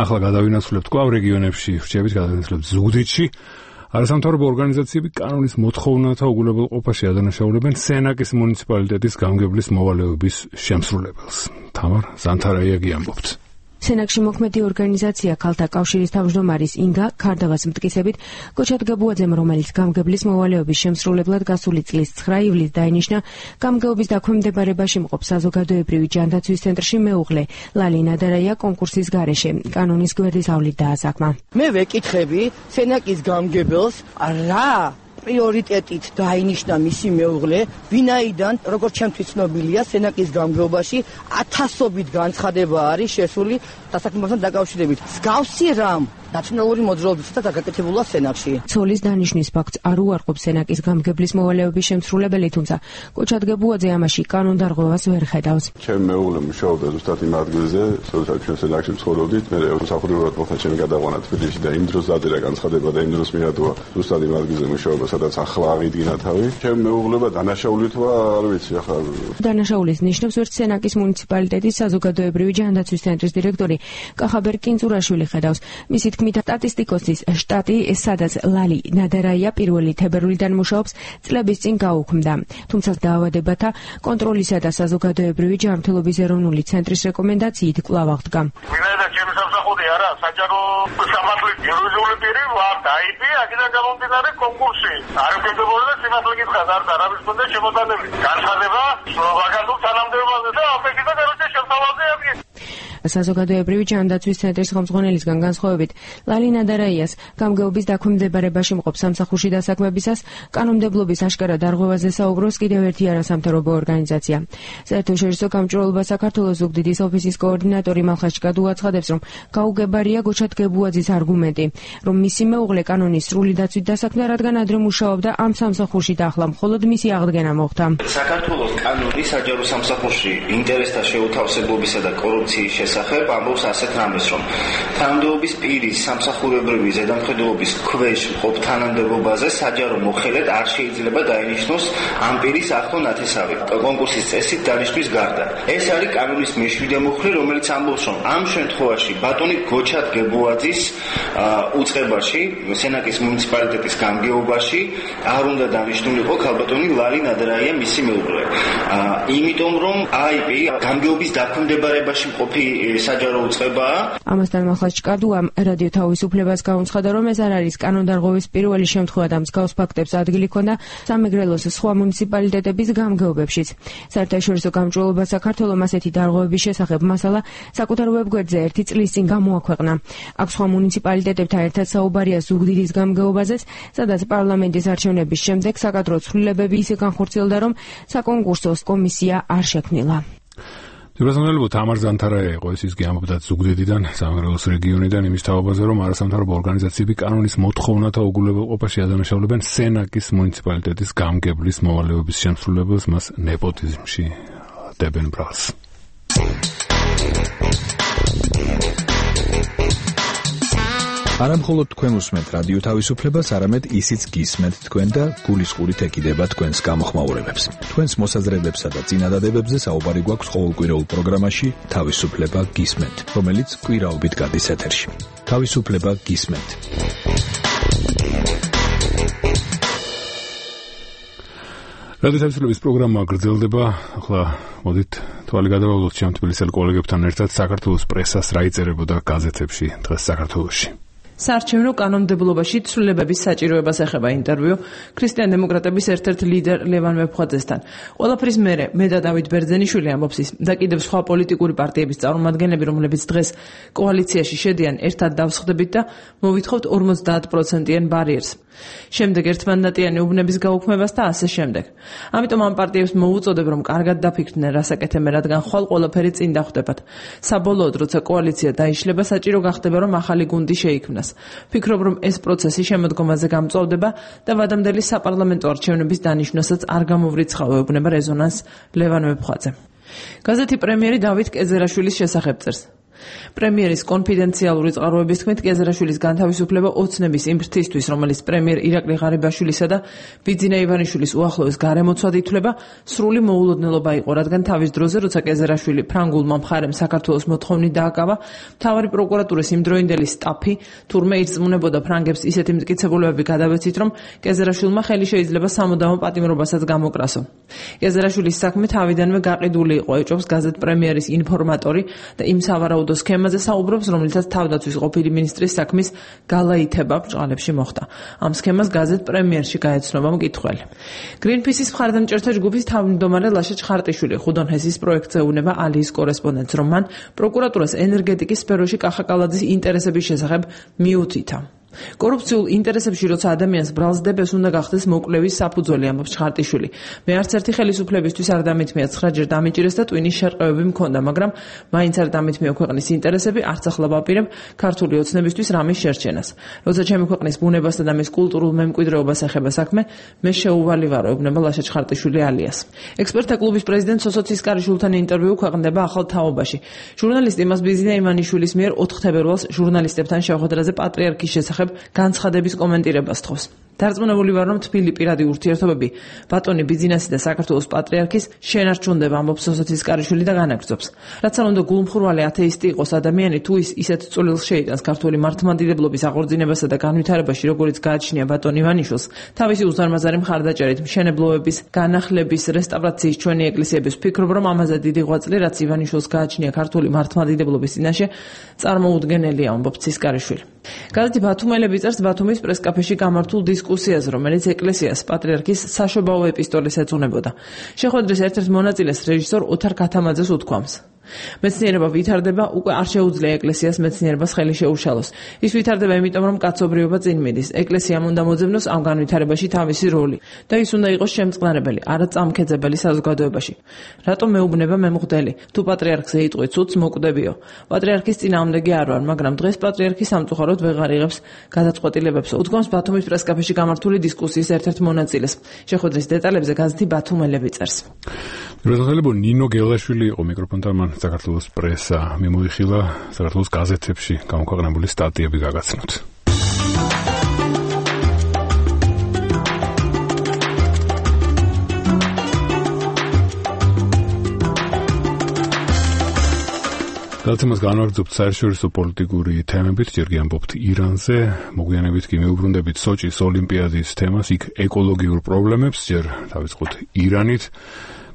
ახლა გადავინაცვლებთ კვლავ რეგიონებში, რჩევით გადავინაცვლებთ ზუგდიდში. არასამთავრობო ორგანიზაციები კანონის მოთხოვნათა უგულებელყოფაში ადანაშაულებენ სენაკის მუნიციპალიტეტის გამგებლის მოვალეობის შემსრულებელს. თამარ ზანთარაიაგი ამბობთ. სენაკში მოქმედი ორგანიზაცია ქალთა კავშირის თავმჯდომარის ინგა ქარდავას მტკიცებით, გოჩად გაბუაძემ, რომელიც გამგებლის მოვალეობის შემსრულებლად გასული წლის 9 ივლისს დაინიშნა, გამგეობის დაქვემდებარებაში მყოფ საზოგადოებრივი ჯანდაცვის ცენტრში მეუღლე ლალი ნადარაია კონკურსის გარეშე კანონის გვერდის ავლით დაასაქმა. მე ვეკითხები სენაკის გამგებელს, რა პრიორიტეტით დაინიშნა მისი მეუღლე, ვინაიდან, როგორც ჩემთვის ცნობილია, სენაკის გამგეობაში 1000-ობით განცხადება არის შესული დასაქმებასთან დაკავშირებით. მსგავსი რამ ნაციონალური მოძრაობისათვის გაკეთებულა სენაკში. ცოლის დანიშვნის ფაქტს არ უარყოფს სენაკის გამგებლის მოვალეობის შემსრულებელი, თუმცა გოჩად გაბუაძე ამაში კანონდარღვევას ვერ ხედავს. ჩემი მეუღლე მუშაობდა ზუსტად იმ ადგილზე, სადაც ჩვენ სენაკში ცხოვრობდით. მე სამსახურებრივად მოხდა ჩემი გადაყვანა თბილისში და იმ დროს დაწერა განცხადება და იმ დროს მიადოა ზუსტად იმ ადგილზე მუშაობა, სადაც ახლა აღიდგინა თავი. ჩემი მეუღლება დანაშაული თვა, არ ვიცი ახლა. დანაშაულის ნიშნებს ვერც სენაკის მუნიციპალიტეტის საზოგადოებრივი ჯანდაცვის ცენტრის დირექტორი კახაბერ კინწურაშვილი ხედავს. მისი თქმით, სტატისტიკოსის შტატი, სადაც ლალი ნადარაია პირველი თებერვლიდან მუშაობს, წლების წინ გაუქმდა. თუმცა დაავადებათა კონტროლისა და საზოგადოებრივი ჯანმრთელობის ეროვნული ცენტრის რეკომენდაციით კვლავ აღდგა. ვინაიდან ჩემი სამსახური არა, საჯარო სამართლის იურიდიული პირი ვარ, დაიბი, აქედან გამომდინარე კონკურსი. არ ვქენდებოდა სიმართლე გითხრათ, არ დარავის მქონდა შემოტანები. განცხადება ვაკანტურ თანამდებობაზე და აფეთქება გარკვეულ შემთხვევაში. საზოგადოებრივი ჯანდაცვის ცენტრის ხელმძღვანელისგან განსხვავებით, ლალი ნადარაიას გამგეობის დაქვემდებარებაში მყოფ სამსახურში დასაქმებისას კანონმდებლობის აშკარა დარღვევაზე საუბრობს კიდევ ერთი არასამთავრობო ორგანიზაცია. საერთაშორისო გამჭვირვალობა საქართველოს ზუგდიდის ოფისის კოორდინატორი მალხაშკად უაცხადებს, რომ გაუგებარია გოჩად გებუაძის არგუმენტი, რომ მისი მეუღლე კანონის სრული დაცვით დასაქმდა, რადგან ადრე მუშაობდა ამ სამსახურში და ახლა მხოლოდ მისი აღდგენა მოხდა. საქართველოს კანონი საჯარო სამსახურში ინტერესთა შეუთავსებობისა და კორუფციის შესახებ ამბობს ასეთ რამეს, რომ თანამდებობის პირის სამსახურებრივი ზედამხედველობის ქვეშ მყოფ თანამდებობაზე საჯარო მოხელედ არ შეიძლება დაინიშნოს ამ პირის ახლო ნათესავი კონკურსის წესით დანიშვნის გარდა. ეს არის კანონის მე-7 მუხლი, რომელიც ამბობს, რომ ამ შემთხვევაში ბატონი გოჩად გებუაძის უწყებაში, სენაკის მუნიციპალიტეტის გამგეობაში არ უნდა დანიშნულიყო ქალბატონი ლალი ნადარაია მისი მეუღლე. იმიტომ რომ აიპი გამგეობის დაქვემდებარებაში მყოფი საჯარო უწყებაა. ამასთან მახლაც ჭკადუამ რადიო თავისუფლებას გაუცხადა, რომ ეს არ არის კანონდარღვევის პირველი შემთხვევა და მსგავს ფაქტებს ადგილი ჰქონდა სამეგრელოს სხვა მუნიციპალიტეტების გამგეობებშიც. საერთაშორისო გამჭვირვალობა საქართველოს ასეთი დარღვევების შესახებ მასალა საკუთარ ვებგვერდზე 1 წლის წინ გამოაქვეყნა. აქ სხვა მუნიციპალიტეტებთან ერთად საუბარია ზუგდიდის გამგეობაზე, სადაც პარლამენტის არჩევნების შემდეგ საკადრო ცვლილებები ისე განხორციელდა, რომ საკონკურსო კომისია არ შექმნილა. Ძირითადად თამარ ზანთარაია იყო ის გიამბობდა ზუგდიდიდან, სამეგრელოს რეგიონიდან იმის თაობაზე, რომ არასამთავრობო ორგანიზაციები კანონის მოთხოვნათა უგულებელყოფაში ადანაშაულებენ სენაკის მუნიციპალიტეტის გამგებლის მოვალეობის შემსრულებელს, მას ნეპოტიზმში დებენ ბრალს. არამხოლოდ თქვენ უსმენთ რადიო თავისუფლებას, არამედ ისიც გისმენთ თქვენ და გულისყურით ეკიდება თქვენს გამოხმაურებებს. თქვენს მოსაზრებებსა და წინადადებებზე საუბარი გვაქვს ყოველკვირეულ პროგრამაში თავისუფლება გისმენთ, რომელიც კვირაობით გადის ეთერში. თავისუფლება გისმენთ. რადიო თავისუფლების პროგრამა გრძელდება. ახლა მოდით თვალი გადავავლოთ ჩემ თბილისელ კოლეგებთან ერთად საქართველოს პრესას რა იწერებოდა გაზეთებში დღეს საქართველოში. საარჩევნო კანონმდებლობაში ცვლილებების საჭიროებას ეხება ინტერვიუ ქრისტიან-დემოკრატების ერთ-ერთ ლიდერ ლევან ვეფხვაძესთან. ყველაფრის მერე მე და დავით ბერძენიშვილი ამბობს ის და კიდევ სხვა პოლიტიკური პარტიების წარმომადგენლები, რომლებიც დღეს კოალიციაში შედიან, ერთად დავსხდებით და მოვითხოვთ 50%-იან ბარიერს. შემდეგ ერთმანდატიანი უბნების გაუქმებას და ასე შემდეგ. ამიტომ ამ პარტიებს მოუწოდებ, რომ კარგად დაფიქრდნენ, რას აკეთებენ, რადგან ხვალ ყველაფერი წინ დახვდებათ. საბოლოოდ, როცა კოალიცია დაიშლება, საჭირო გახდება, რომ ახალი გუნდი შეიქმნას. ფიქრობ, რომ ეს პროცესი შემოდგომაზე გამწვავდება და ვადამდელი საპარლამენტო არჩევნების დანიშვნასაც არ გამოვრიცხავ, ეუბნება რეზონანს ლევან ვეფხვაძე. გაზეთი პრემიერი დავით კეზერაშვილის შესახებ წერს. პრემიერის კონფიდენციალური წყაროების თქმით, კეზერაშვილის განთავისუფლება ოცნების იმ ფრთისთვის, რომელიც პრემიერ ირაკლი ღარიბაშვილისა და ბიძინა ივანიშვილის უახლოეს გარემოცვად ითვლება, სრული მოულოდნელობა იყო, რადგან თავის დროზე, როცა კეზერაშვილი ფრანგულმა მხარემ საქართველოს მოთხოვნით დააკავა, მთავარი პროკურატურის იმდროინდელი სტაფი თურმე ირწმუნებოდა ფრანგებს ისეთი მტკიცებულებები გადავეცით, რომ კეზერაშვილმა ხელი შეიძლება სამუდამო პატიმრობასაც გამოკრასო. კეზერაშვილის საქმე თავიდანვე გაყიდული იყო, ეჭვობს გაზეთ პრემიერის ინფორმატორი და იმ სავარაუდო სქემაზე საუბრობს, რომელიცაც თავდაცვის ყოფილი მინისტრის საქმის გალაითება ბრჭყალებში მოხდა. ამ სქემას გაზეთ პრემიერში გაეცნობა მკითხველი. გრინპისის მხარდამჭერთა ჯგუფის თავმჯდომარე ლაშა ჩხარტიშვილი ხუდონჰესის პროექტზე უნება ალიის კორესპონდენტს, რომ მან პროკურატურას ენერგეტიკის სფეროში კახაკალაძის ინტერესების შესახებ მიუთითა. კორუფციულ ინტერესებში როცა ადამიანს ბრალს დებებს, უნდა გახდეს მოკვლევის საფუძველი, ამბობს ჩხარტიშვილი. მე არც ერთი ხელისუფლებისთვის არ დამითმია 9 ჯერ დამიჭირეს და ტვინის შერყევები მქონდა, მაგრამ მაინც არ დამითმია ქვეყნის ინტერესები, არც ახლა ვაპირებ ქართული ოცნებისთვის რამის შერჩენას. როცა ჩემი ქვეყნის ბუნებასა და მის კულტურულ მემკვიდრეობას ეხება საქმე, მე შეუვალი ვარო, ეუბნება ლაშა ჩხარტიშვილი ალიას. ექსპერტთა კლუბის პრეზიდენტ სოსო ცისკარიშვილთან ინტერვიუ ქვეყნდება ახალ თაობაში. ჟურნალისტი მას ბიზნა ივანიშვილის მიერ 4 თებერვალს ჟურნალისტებთან შეხვედრაზე პატრიარქის შესახებ განცხადების კომენტირებას თხოვს. დარწმუნებული ვარ, რომ თბილი პირადი ურთიერთობები ბატონი ბიძინასი და საქართველოს პატრიარქის შენარჩუნდება, ამბობს სოსო ცისკარიშვილი და განაგრძობს. რაც არ უნდა გულმხურვალი ათეისტი იყოს ადამიანი, თუ ის ისეთ წვლილს შეიტანს ქართული მართლმადიდებლობის აღორძინებასა და განვითარებაში, როგორც გააჩნია ბატონ ივანიშვილს, თავისი უზარმაზარი მხარდაჭერით მშენებლობების, განახლების, რესტავრაციის ჩვენი ეკლესიების ფიქრობ, რომ ამაზე დიდი ღვაწლი, რაც ივანიშვილს გააჩნია ქართული მართლმადიდებლობის წინაშე, წარმოუდგენელია, ამბობს ცისკარიშვილი. გაზეთი ბათუმელები წერს ბათუმის პრესკაფეში გამართულ დისკუსიაზე, რომელიც ეკლესიას პატრიარქის საშობაო ეპისტოლეს ეძღვნებოდა. შეხვედრის ერთ-ერთ მონაწილეს რეჟისორ ოთარ ქათამაძეს უთქვამს. მეცნიერება ვითარდება, უკვე არ შეუძლია ეკლესიას მეცნიერებას ხელი შეუშალოს. ის ვითარდება იმიტომ, რომ კაცობრიობა წინ მიდის. ეკლესიამ უნდა მოძებნოს ამ განვითარებაში თავისი როლი და ის უნდა იყოს შემწყნარებელი, არა წამქეძებელი საზოგადოებაში. რატომ მეუბნება მე მღვდელი? თუ პატრიარქზე იტყვი ცუდს, მოკვდებიო. პატრიარქის წინააღმდეგი არ ვარ, მაგრამ დღეს პატრიარქი სამწუხაროდ ვეღარ იღებს გადაწყვეტილებებს. უთქვამს ბათუმის პრესკაფეში გამართული დისკუსიის ერთ-ერთ მონაწილეს. შეხვედრის დეტალებზე გაზეთი ბათუმელები წერს. როდესაც ნინო გელაშვილი იყო მიკროფონთან, მან საქართველოს პრესა მიმოიხილა საქართველოს გაზეთებში გამოქვეყნებული სტატიები გაგაცნოთ. გადაცემას განვაგრძობთ საერთაშორისო პოლიტიკური თემებით, ჯერ კი ამბობთ ირანზე, მოგვიანებით კი მიუბრუნდებით სოჭის ოლიმპიადის თემას, იქ ეკოლოგიურ პრობლემებს, ჯერ დავიწყოთ ირანით.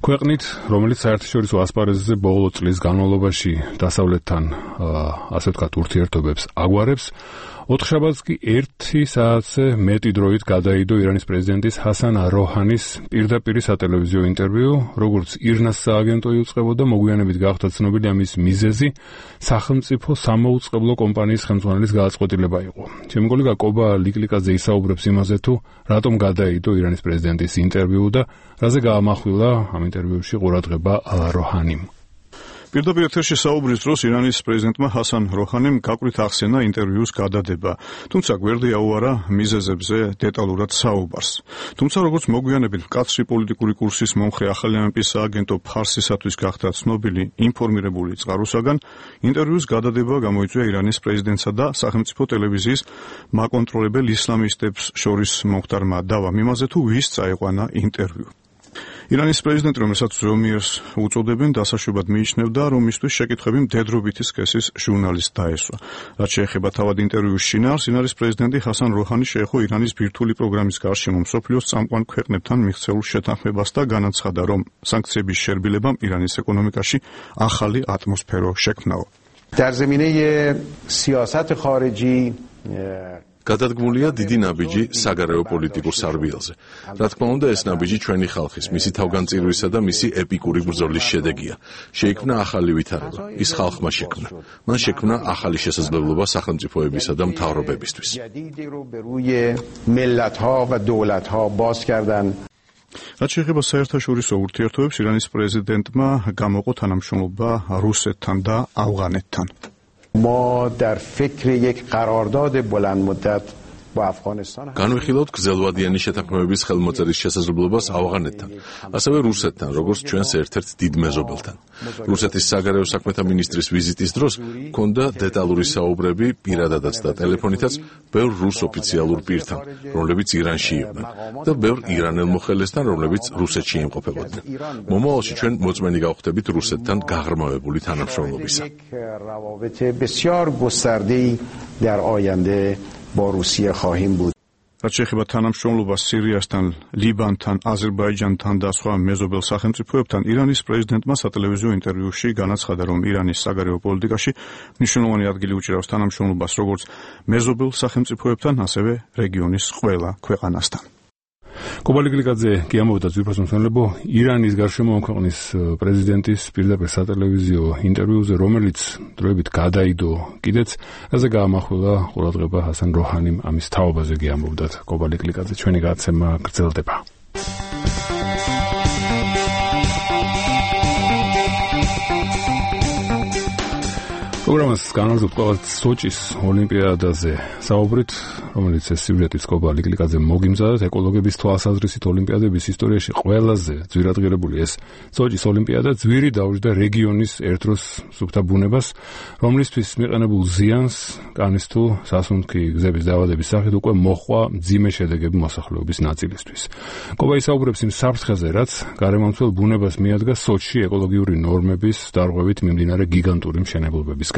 ქვეყნით, რომელიც საერთაშორისო ასპარეზზე ბოლო წლის განმავლობაში დასავლეთთან ასე ვთქვათ ურთიერთობებს აგვარებს, 4 შაბათს კი 1 საათზე მეტი დროით გადაიდო ირანის პრეზიდენტის ჰასან როჰანის პირდაპირ სატელევიზიო ინტერვიუ, როგორც ირნას სააგენტო იუწყებოდა, მოგვიანებით გახდა ცნობილი ამის მიზეზი სახელმწიფო სამოუწყებლო კომპანიის ხელმძღვანელის გადაწყვეტილება იყო. ჩემი კოლეგა კობა ლიკლიკაძე ისაუბრებს იმაზე, თუ რატომ გადაიდო ირანის პრეზიდენტის ინტერვიუ და რაზე გაამახვილა ამ ინტერვიუში ყურადღება როჰანიმ. პირდაპირ ეთერში საუბრის დროს ირანის პრეზიდენტმა ჰასან როჰანიმ გაკვირით ახსენა ინტერვიუს გადადება, თუმცა გვერდი აუარა მიზეზებზე დეტალურად საუბარს. თუმცა როგორც მოგვიანებით მკაცრი პოლიტიკური კურსის მომხრე ახალი ამპის სააგენტო ფარსისათვის გახდა ცნობილი ინფორმირებული წყაროსაგან, ინტერვიუს გადადება გამოიწვია ირანის პრეზიდენტსა და სახელმწიფო ტელევიზიის მაკონტროლებელ ისლამისტებს შორის მომხდარმა დავამ იმაზე, თუ ვის წაეყვანა ინტერვიუ. ირანის პრეზიდენტი, რომელსაც ზომიერს უწოდებენ, დასაშვებად მიიჩნევდა, რომ მისთვის შეკითხვები მდედრობითი სქესის ჟურნალისტს დაესვა. რაც შეეხება თავად ინტერვიუს შინაარს, ირანის პრეზიდენტი ჰასან როჰანი შეეხო ირანის ბირთვული პროგრამის გარშემო მსოფლიოს წამყვან ქვეყნებთან მიღწეულ შეთანხმებას და განაცხადა, რომ სანქციების შერბილებამ ირანის ეკონომიკაში ახალი ატმოსფერო შექმნაო. در زمینه سیاست خارجی გადადგმულია დიდი ნაბიჯი საგარეო პოლიტიკურ სარბიელზე. რა თქმა უნდა, ეს ნაბიჯი ჩვენი ხალხის, მისი თავგანწირვისა და მისი ეპიკური ბრძოლის შედეგია. შეიქმნა ახალი ვითარება, ის ხალხმა შექმნა. მან შექმნა ახალი შესაძლებლობა სახელმწიფოებისა და მთავრობებისთვის. რაც შეეხება საერთაშორისო ურთიერთობებს, ირანის პრეზიდენტმა გამოყო თანამშრომლობა რუსეთთან და ავღანეთთან. ما در فکر یک قرارداد بلند مدت با افغانستان განვიხილავთ გრძელვადიანი შეთანხმებების ხელმოწერის შესაძლებლობას ავღანეთთან, ასევე რუსეთთან, როგორც ჩვენს ერთ-ერთ დიდ მეზობელთან. რუსეთის საგარეო საქმეთა მინისტრის ვიზიტის დროს ჰქონდა დეტალური საუბრები პირადადაც და ტელეფონითაც ბევრ რუს ოფიციალურ პირთან, რომლებიც ირანში იყვნენ, და ბევრ ირანელ მოხელესთან, რომლებიც რუსეთში იმყოფებოდნენ. მომავალში ჩვენ მოწმენი გავხდებით რუსეთთან გაღრმავებული თანამშრომლობისა. با روسیه خواهیم بود. რაც შეეხება თანამშრომლობას სირიასთან, ლიბანთან, აზერბაიჯანთან და სხვა მეზობელ სახელმწიფოებთან, ირანის პრეზიდენტმა სატელევიზიო ინტერვიუში განაცხადა, რომ ირანის საგარეო პოლიტიკაში მნიშვნელოვანი ადგილი უჭირავს თანამშრომლობას როგორც მეზობელ სახელმწიფოებთან, ასევე რეგიონის ყველა ქვეყანასთან. კობა ლიკლიკაძე კი ამბობდა ძვირფას მომსახურებო ირანის გარშემო ქვეყნის პრეზიდენტის პირდაპირ სატელევიზიო ინტერვიუზე, რომელიც დროებით გადაიდო კიდეც, რაზე გაამახვილა ყურადღება ჰასან როჰანიმ ამის თაობაზე კი ამბობდა კობა ლიკლიკაძე. ჩვენი გადაცემა გრძელდება. პროგრამას განაგრძობთ ყოველთ სოჭის ოლიმპიადაზე საუბრით, რომელიც ეს სიუჟეტიც კობა ლიკლიკაძე მოგიმზადეთ. ეკოლოგების თვალსაზრისით ოლიმპიადების ისტორიაში ყველაზე ძვირადღირებული ეს სოჭის ოლიმპიადა ძვირი დაუჯდა რეგიონის ერთდროს სუფთა ბუნებას, რომლისთვის მიყენებულ ზიანს კანის თუ სასუნთქი გზების დაავადების სახით უკვე მოჰყვა მძიმე შედეგები მოსახლეობის ნაწილისთვის. კობა ისაუბრებს იმ საფრთხეზე, რაც გარემომცველ ბუნებას მიადგა სოჭში ეკოლოგიური ნორმების დარღვევით მიმდინარე გიგანტური მშენებლობების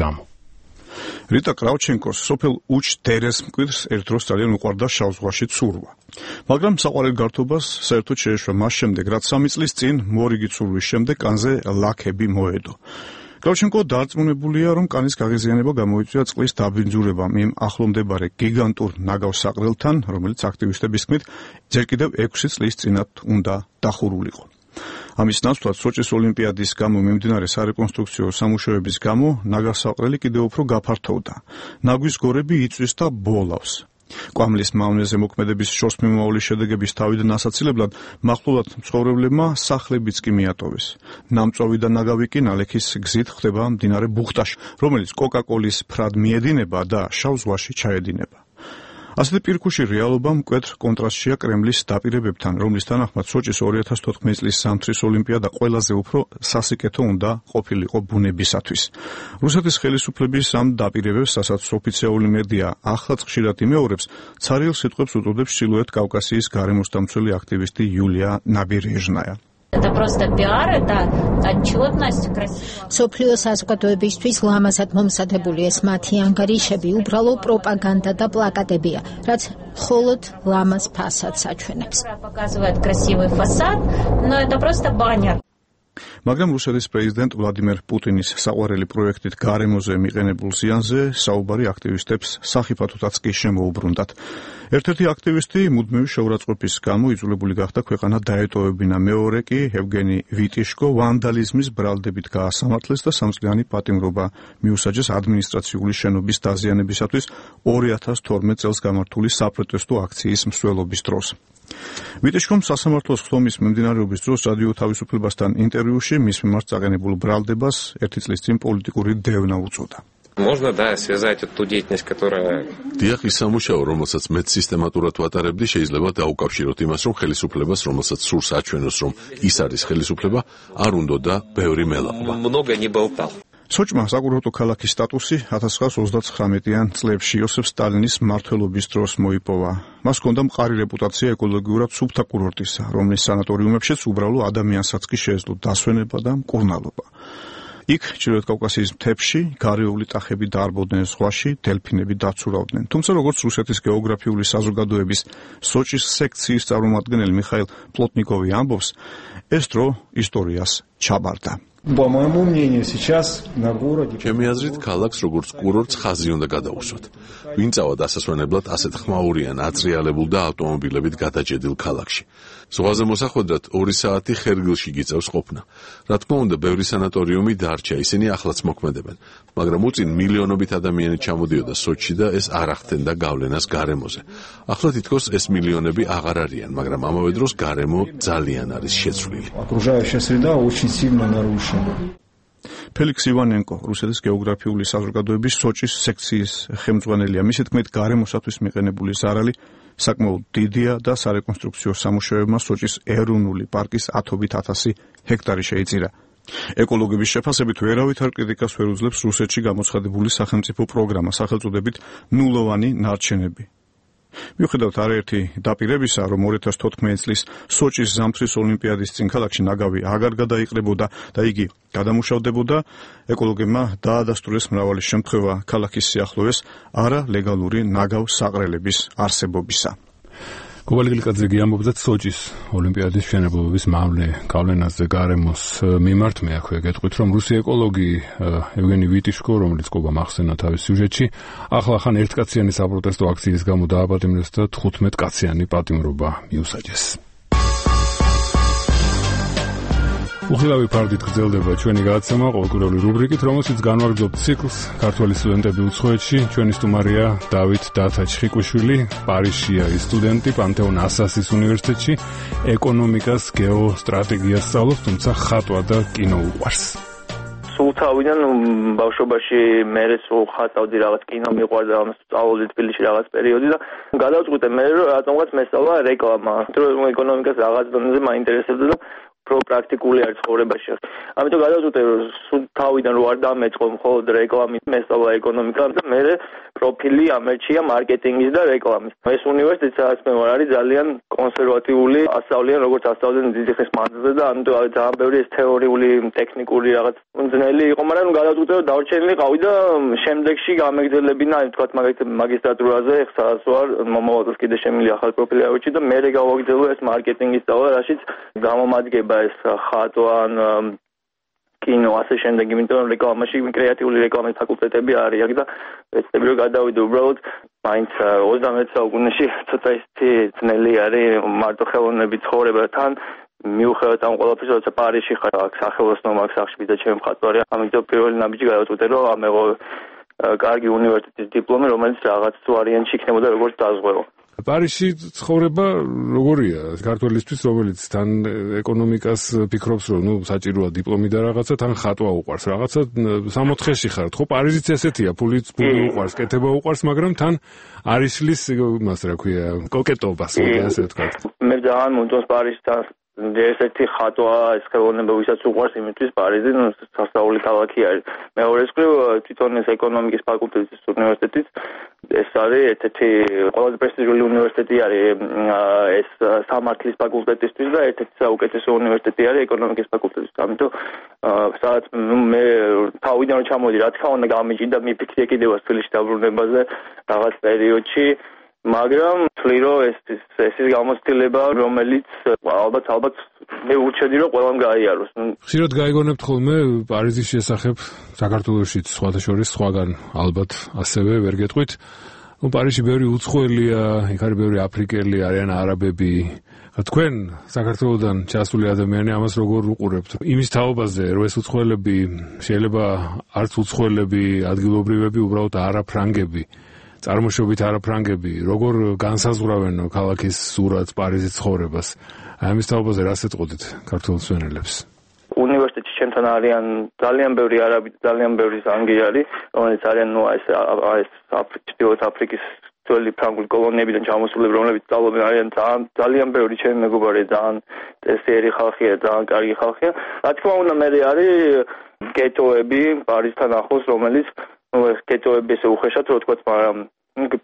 რიტა კრავჩენკოს სოფელ უჩ-დერეს მკვიდრს ერთ დროს ძალიან უყვარდა შავ ზღვაში ცურვა. მაგრამ საყვარელ გართობას საერთოდ შეეშვა მას შემდეგ, რაც 3 წლის წინ მორიგი ცურვის შემდეგ კანზე ლაქები მოედო. კრავჩენკო დარწმუნებულია, რომ კანის გაღიზიანება გამოიწვია წყლის დაბინძურებამ იმ ახლომდებარე გიგანტურ ნაგავს საყრელთან, რომელიც აქტივისტების თქმით ჯერ კიდევ 6 წლის წინათ უნდა დახურულიყო. ამის ნაცვლად სოჭის ოლიმპიადის გამო მიმდინარე სარეკონსტრუქციო სამუშაოების გამო ნაგავსაყრელი კიდევ უფრო გაფართოვდა. ნაგვის გორები იწვის და ბოლავს. კვამლის მავნეზე მოქმედების შორსმიმავალი შედეგების თავიდან ასაცილებლად მახლობლად მცხოვრებლებმა სახლებიც კი მიატოვეს. ნამწვავი და ნაგავი კი ნალექის გზით ხდება მდინარე ბუხტაში, რომელიც კოკა-კოლის ფრად მიედინება და შავ ზღვაში ჩაედინება. ასეთი პირქუში რეალობა მკვეთრ კონტრასტშია კრემლის დაპირებებთან, რომლის თანახმად სოჭის 2014 წლის ზამთრის ოლიმპიადა ყველაზე უფრო სასიკეთო უნდა ყოფილიყო ბუნებისათვის. რუსეთის ხელისუფლების ამ დაპირებებს, რასაც ოფიციალური მედია ახლაც ხშირად იმეორებს, ცარიელ სიტყვებს უწოდებს ჩრდილოეთ კავკასიის გარემოსდამცველი აქტივისტი იულია ნაბერეჟნაია. Это просто пиар, это отчетность, красиво. სოფლიო საზოგადოებისთვის ლამაზად მომზადებული ეს მათი ანგარიშები უბრალო პროპაგანდა და პლაკატებია, რაც მხოლოდ ლამაზ ფასადს აჩვენებს. Показывает красивый фасад, но это просто баннер. მაგრამ რუსეთის პრეზიდენტ ვლადიმერ პუტინის საყვარელი პროექტით გარემოზე მიყენებულ ზიანზე საუბარი აქტივისტებს სახიფათოთაც კი შემოუბრუნდათ. ერთ-ერთი აქტივისტი მუდმივი შეურაცხყოფის გამო იძულებული გახდა ქვეყანა დაეტოვებინა, მეორე კი ევგენი ვიტიშკო ვანდალიზმის ბრალდებით გაასამართლეს და სამწლიანი პატიმრობა მიუსაჯეს ადმინისტრაციული შენობის დაზიანებისათვის 2012 წელს გამართული საპროტესტო აქციის მსვლელობის დროს. ვიტიშკომ სასამართლოს ხდომის მიმდინარეობის დროს რადიო თავისუფლებასთან ინტერვიუში მის მიმართ წაყენებულ ბრალდებას ერთი წლის წინ პოლიტიკური დევნა უწოდა. Можно, да, связать эту деятельность, которая... დიახ, ის სამუშაო, რომელსაც მეც სისტემატურად ვატარებდი, შეიძლება დაუკავშიროთ იმას, რომ ხელისუფლებას, რომელსაც სურს აჩვენოს, რომ ის არის ხელისუფლება, არ უნდოდა ბევრი მელაყვა. Много не болтал. სოჭმა საკურორტო ქალაქის სტატუსი 1939-იან წლებში იოსებ სტალინის მმართველობის დროს მოიპოვა. მას ჰქონდა მყარი რეპუტაცია ეკოლოგიურად სუფთა კურორტისა, რომლის სანატორიუმებშიც უბრალო ადამიანსაც კი შეეძლო დასვენება და მკურნალობა. იქ ჩრდილოეთ კავკასიის მთებში გარეული ტახები დაარბოდნენ ზღვაში, დელფინები დაცურავდნენ. თუმცა როგორც რუსეთის გეოგრაფიული საზოგადოების სოჭის სექციის წარმომადგენელი მიხაილ პლოტნიკოვი ამბობს, ეს დრო ისტორიას ჩაბარდა. По моему мнению, сейчас на городе... ჩემი აზრით, ქალაქს როგორც კურორტს ხაზი უნდა გადაუსვათ. ვინ წავა დასასვენებლად ასეთ ხმაურიან, აწრიალებულ და ავტომობილებით გადაჭედილ ქალაქში. ზღვაზე მოსახვედრად 2 საათი ხერგილში გიწევს ყოფნა. რა თქმა უნდა, ბევრი სანატორიუმი დარჩა, ისინი ახლაც მოქმედებენ, მაგრამ უწინ მილიონობით ადამიანი ჩამოდიოდა სოჭში და ეს არ ახდენდა გავლენას გარემოზე. ახლა თითქოს ეს მილიონები აღარ არიან, მაგრამ ამავე დროს გარემო ძალიან არის შეცვლილი. Окружающая среда очень сильно нарушена. ფელიქს ივანენკო, რუსეთის გეოგრაფიული საზოგადოების სოჭის სექციის ხელმძღვანელია. მისი თქმით, გარემოსათვის მიყენებული ზარალი საკმაოდ დიდია და სარეკონსტრუქციო სამუშაოებმა სოჭის ეროვნული პარკის 10,000 ჰექტარი შეიწირა. ეკოლოგების შეფასებით ვერავითარ კრიტიკას ვერ უძლებს რუსეთში გამოცხადებული სახელმწიფო პროგრამა სახელწოდებით ნულოვანი ნარჩენები. მიუხედავად არაერთი დაპირებისა, რომ 2014 წლის სოჭის ზამთრის ოლიმპიადის წინ ქალაქში ნაგავი აღარ გადაიყრებოდა და იგი გადამუშავდებოდა, ეკოლოგებმა დაადასტურეს მრავალი შემთხვევა ქალაქის სიახლოვეს არალეგალური ნაგავ საყრელების არსებობისა. კობალი გლიკაძე ამბობდა სოჭის ოლიმპიადის მშენებლობის მავლე გავლენაზე გარემოს მიმართ. მე აქვე გეტყვით, რომ რუსი ეკოლოგი ევგენი ვიტიშკო, რომელიც ყობა მახსენა თავის სიუჟეტში, ახლა ერთკაციანი საპროტესტო აქციის გამო დააპატიმრეს და 15 კაციანი პატიმრობა მიუსაჯეს. უხილავი ფარდით გრძელდება ჩვენი გადაცემა ყოველკვირეული რუბრიკით, რომელშიც განვაგრძობთ ციკლს ქართველი სტუდენტები უცხოეთში. ჩვენი სტუმარია დავით დათაჩხიკვიშვილი, პარიზშია ის სტუდენტი, პანთეონ ასასის უნივერსიტეტში ეკონომიკას, გეოსტრატეგიას სწავლობს, თუმცა ხატვა და კინო უყვარს. სულ თავიდან ბავშვობაში მე სულ ხატავდი, რაღაც კინო მიყვარდა, ამას სწავლობდი თბილისში რაღაც პერიოდი და გადავწყვიტე მე რომ რატომღაც მესწავლა რეკლამა. რომ ეკონომიკას რაღაც დონეზე მაინტერესებდა და პრაქტიკული არის ცხოვრებაში. ამიტომ გადავწყვიტე რომ სულ თავიდან რო არ დამეწყო მხოლოდ რეკლამის მესწავლა ეკონომიკა და მე პროფილი ამერჩია მარკეტინგის და რეკლამის. ეს უნივერსიტეტი სადაც მე ვარ არის ძალიან კონსერვატიული, ასწავლიან როგორც ასწავლდნენ დიდი ხნის მანძილზე და ამიტომ ძალიან ბევრი ეს თეორიული, ტექნიკური რაღაც ძნელი იყო, მაგრამ გადავწყვიტე რომ დავრჩენილიყავი და შემდეგში გამეგრძელებინა, თქვათ მაგისტრატურაზე, სადაც ვარ, მომავალს კიდე შემილი ახალ პროფილი ავეჭი და მე გავაგრძელო ეს მარკეტინგის სწავლა, რაშიც გამომადგება ეს ხატვა, კინო, ასე შემდეგ, იმიტომ რომ რეკლამაში კრეატიული რეკლამის ფაკულტეტები არის აქ და ეცდები რომ გადავიდე უბრალოდ მაინც 21 საუკუნეში ცოტა ისეთი ძნელი არის მარტო ხელოვნების ცხოვრებასთან მიუხედავად ამ ყველაფერს, როცა პარიზში ხარ, აქ სახელოსნო მაგ სახში და ჩემი მხატვარია, ამიტომ პირველი ნაბიჯი გადავწყვიტე რომ ამეღო კარგი უნივერსიტეტის დიპლომი, რომელიც რაღაც ვარიანტში იქნებოდა როგორც დაზღვევა. პარიზში ცხოვრება როგორია ქართველისთვის, რომელიც თან ეკონომიკას ფიქრობს, რომ საჭიროა დიპლომი და რაღაცა, თან ხატვა უყვარს, რაღაცა 64-ში ხართ, ხო? პარიზიც ესეთია, ფულიც უყვარს, კეთება უყვარს, მაგრამ თან არის შლის იმას, რა ქვია, კოკეტობას, ასე ვთქვათ. მე ძალიან მომწონს პარიზთან ერთ-ერთი ხატვა, ეს ხელოვნება, ვისაც უყვარს, იმისთვის პარიზი სასწაული ქალაქი არის. მეორეს მხრივ, თვითონ ეს ეკონომიკის ფაკულტეტის უნივერსიტეტიც ეს არის ერთ-ერთი ყველაზე პრესტიჟული უნივერსიტეტი არის ეს სამართლის ფაკულტეტისთვის და ერთ-ერთი საუკეთესო უნივერსიტეტი არის ეკონომიკის ფაკულტეტისთვის. ამიტომ სადაც მე თავიდან რომ ჩამოვიდი, რა თქმა უნდა გამიჭირდა მიფიქრე კიდევ თბილისში დაბრუნებაზე რაღაც პერიოდში მაგრამ თვლი რომ ეს ის გამოცდილება რომელიც ალბათ მე ურჩევდი რომ ყველამ გაიაროს. ხშირად გაიგონებთ ხოლმე პარიზის შესახებ საქართველოშიც სხვათა შორის სხვაგან ალბათ ასევე ვერ გეტყვით. პარიზში ბევრი უცხოელია, იქ არის ბევრი აფრიკელი, არიან არაბები. თქვენ საქართველოდან ჩასული ადამიანი ამას როგორ უყურებთ? იმის თაობაზე რომ ეს უცხოელები შეიძლება არც უცხოელები, ადგილობრივები, უბრალოდ არაფრანგები, წარმოშობით არაფრანგები, როგორ განსაზღვრავენ ქალაქის სურათს, პარიზის ცხოვრებას? ამის თაობაზე რას ეტყოდით ქართულ მსმენელებს? უნივერსიტეტში ჩემთან არიან ძალიან ბევრი არაბი, ძალიან ბევრი ზანგიარი, რომელიც არიან ეს ჩრდილოეთ აფრიკის ძველი ფრანგული კოლონიებიდან ჩამოსულები, რომლებიც სწავლობენ, არიან ძალიან ბევრი ჩემი მეგობარი, ძალიან წესიერი ხალხია, ძალიან კარგი ხალხია. რა თქმა უნდა, მე არის გეტოები პარიზთან ახლოს, რომელიც გეტოები ესე უხეშად რო თქვა, მაგრამ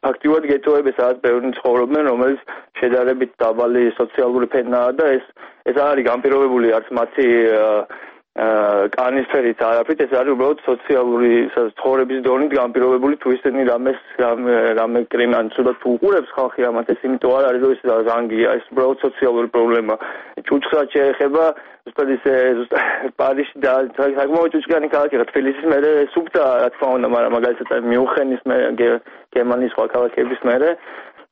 ფაქტიურად გეტოები სადაც ბევრი ცხოვრობენ, რომელიც შედარებით დაბალი სოციალური ფენაა და ეს არის განპირობებული არც მათი კანისფერით არაფრით, ეს არის უბრალოდ სოციალური ცხოვრების დონით განპირობებული თუ ისინი რამე კრიმი ან ცუდად თუ უყურებს ხალხი ამათ, ეს იმიტომ არ არის რომ ეს ზანგია, ეს უბრალოდ სოციალური პრობლემა. ჭუჭხად შეეხება ზუსტად ისე პარიზში და საკმაოდ ჭუჭკიანი ქალაქია, თბილისის მერე სუფთა რა თქმა უნდა, მაგრამ მაგალითად მიუნხენის მერე, გერმანიის სხვა ქალაქების მერე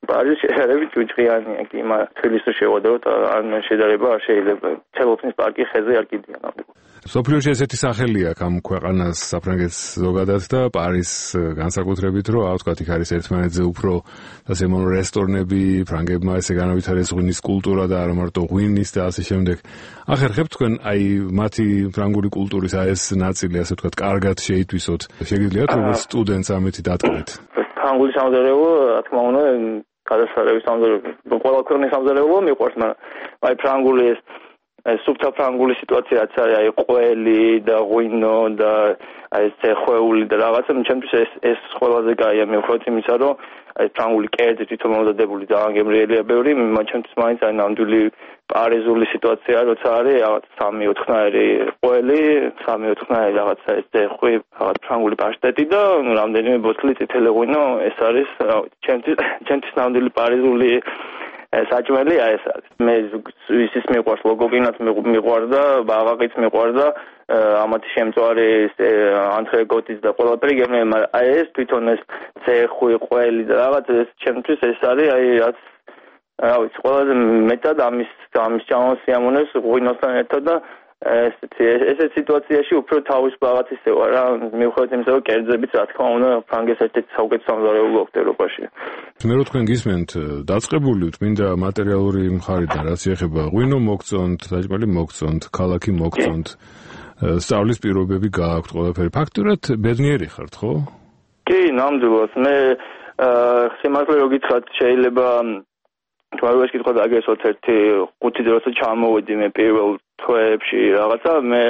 პარიზი შედარებით ჭუჭყიანია, კი, მაგრამ თბილისში შევადროთ ან შედარება არ შეიძლება. ცელოფნის პარკი ხეზე არ კიდია ნამდვილად. სოფლიოში ესეთი სახელი აქვს ამ ქვეყანას, საფრანგეთს ზოგადად და პარიზს განსაკუთრებით, რომ ვთქვათ, იქ არის ერთმანეთზე უფრო ასე მომრ რესტორნები, ფრანგებმა ესე განავითარეს ღვინის კულტურა და არა მარტო ღვინის და ასე შემდეგ. ახერხებთ თქვენ აი მათი ფრანგული კულტურის ეს ნაწილი, ასე ვთქვათ, კარგად შეითვისოთ. შეგიძლიათ როგორც სტუდენტს ამეთი დატკბეთ? ფრანგული სამზარეულო, რა თქმა უნდა, გადასარევი სამზარეულო, ყველა ქვეყნის სამზარეულო მიყვარს, მაგრამ აი ფრანგული ეს სუფთა ფრანგული სიტუაციაც არის, აი ყველი და ღვინო და აი ცეხვეული და რაღაცა, ჩემთვის ეს ყველაზე კაია, მიუხედავად იმისა, რომ აი ფრანგული კერძი თვითონ მომზადებული ძალიან გემრიელია ბევრი, ჩემთვის მაინც აი ნამდვილი პარიზული სიტუაცია, როცა არის რაღაც 3-4-ნაირი ყველი, 3-4-ნაირი რაღაცა ეს ცეხვი, რაღაც ფრანგული პაშტეტი და რამდენიმე ბოთლი წითელი ღვინო, ეს არის ჩემთვის ნამდვილი პარიზული საჭმელია ეს არის. მე ის მიყვარს ლოგოგინაც მიყვარდა, ბაღაყიც მიყვარდა, ამათი შემწვარი ანტრეკოტის და ყველაფერი გემრიელი, მაგრამ აი ეს თვითონ ეს ცეხვი, ყველი და რაღაც ეს ჩემთვის ეს არის აი რაც რა ვიცი, ყველაზე მეტად ამის ჩამოსიამოვნებს ღვინოსთან ერთად და ესეთ სიტუაციაში უფრო თავის რაღაც ისე ვარ რა, მიუხედავად იმისა, რომ კერძებიც რა თქმა უნდა ფრანგეს ერთ-ერთი საუკეთესო სამზარეულო აქვს ევროპაში. მე რო თქვენ გისმენთ, დაწყებული ვთ მინდა მატერიალური მხარიდან, რაც ეხება ღვინო მოგწონთ, საჭმელი მოგწონთ, ქალაქი მოგწონთ, სწავლის პირობები გააქვთ ყველაფერი. ფაქტურად ბედნიერი ხართ, ხო? კი, ნამდვილად. მე სიმართლე რო გითხრათ, შეიძლება თვალოს კითხვა დაგესვათ ერთი 5 დროზე ჩამოვედი მე პირველ თვეებში რაღაცა, მე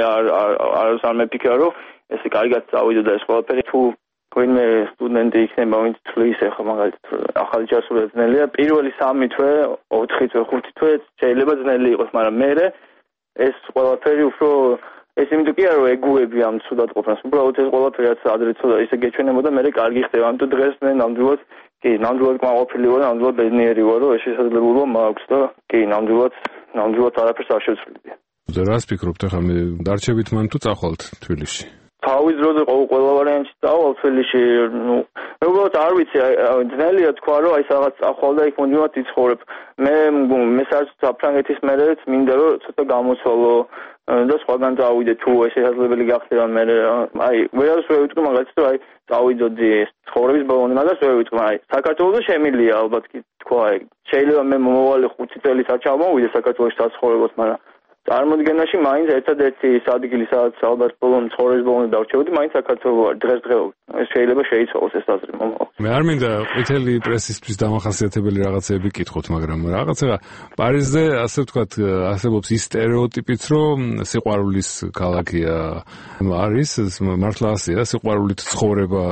არ მეფიქრა რომ ესე კარგად წავიდო და ეს ყველაფერი თუ ვინმე სტუდენტი იქნება, ვინც თვლის ახლა მაგალითად ახალი ჩასული ძნელია, პირველი 3 თვე, 4 თვე, 5 თვე შეიძლება ძნელი იყოს, მაგრამ მე ეს ყველაფერი უფრო ეს იმიტომ კი არა რომ ეგუები ამ ცუდად ყოფნას, უბრალოდ ეს ყველაფერი რაც ადრე ცოტა ისე გეჩვენებოდა, მე კარგი ხდება, ამიტომ დღეს მე ნამდვილად კი, ნამდვილად კმაყოფილი ვარ, ნამდვილად ბედნიერი ვარ, რომ ეს შესაძლებლობა მაქვს და კი, ნამდვილად არაფერს არ შევცვლიდი. და რას ფიქრობთ ახლა მე დარჩებით მან თუ წახვალთ თბილისში? თავის დროზე ყველა ვარიანტში წავალ თბილისში, მე უბრალოდ არ ვიცი, ძნელია თქვა რომ აი რაღაც წახვალ და იქ მუდმივად იცხოვრებ. მე საფრანგეთის მერეც მინდა რომ ცოტა გამოცვალო და სხვაგან წავიდე თუ ეს შესაძლებელი გახდება მე აი ვერას ვერ ვიტყვი მაგალითად რომ აი წავიდოდი ცხოვრების ბოლომდე, მაგას ვერ ვიტყვი, აი საქართველოს შემილია ალბათ კი თქვა, აი შეიძლება მე მომავალი 5 წელიც არ ჩამოვიდე საქართველოში საცხოვრებლად, მაგრამ წარმოდგენაში მაინც ერთადერთი ადგილი სადაც ალბათ ბოლომდე ცხოვრების ბოლომდე დავრჩებოდი, მაინც საქართველო არის დღესდღეობით. ეს შეიძლება შეიცვალოს ეს აზრი მომავალ. მე არ მინდა ყვითელი პრესისთვის დამახასიათებელი რაღაცეები კითხოთ, მაგრამ რაღაცა პარიზზე ასე ვთქვათ არსებობს ის სტერეოტიპიც, რომ სიყვარულის ქალაქია არის, მართლა ასეა, სიყვარულით ცხოვრება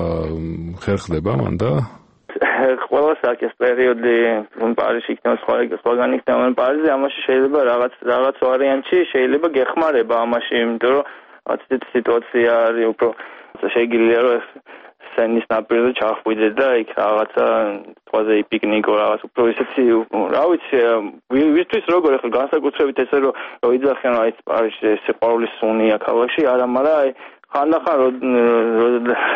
ხერხდება მან და ყველას აქვს პერიოდი, რომ პარიზში იქნება სხვაგან იქნება, მაგრამ პარიზი ამაში შეიძლება რაღაც ვარიანტში შეიძლება გეხმარება ამაში, იმიტომ რომ ასეთი სიტუაცია არის უფრო შეიძლება რომ სენის ნაპირზე ჩახვიდე და იქ რაღაცა თვაზე პიკნიკო რაღაც უფრო ისეთი რა ვიცი ვისთვის როგორ ახლა განსაკუთრებით ესე რომ იძახიან აი პარიზში სიყვარულის სუნია ქალაქში არა მაგრამ აი ხანდახან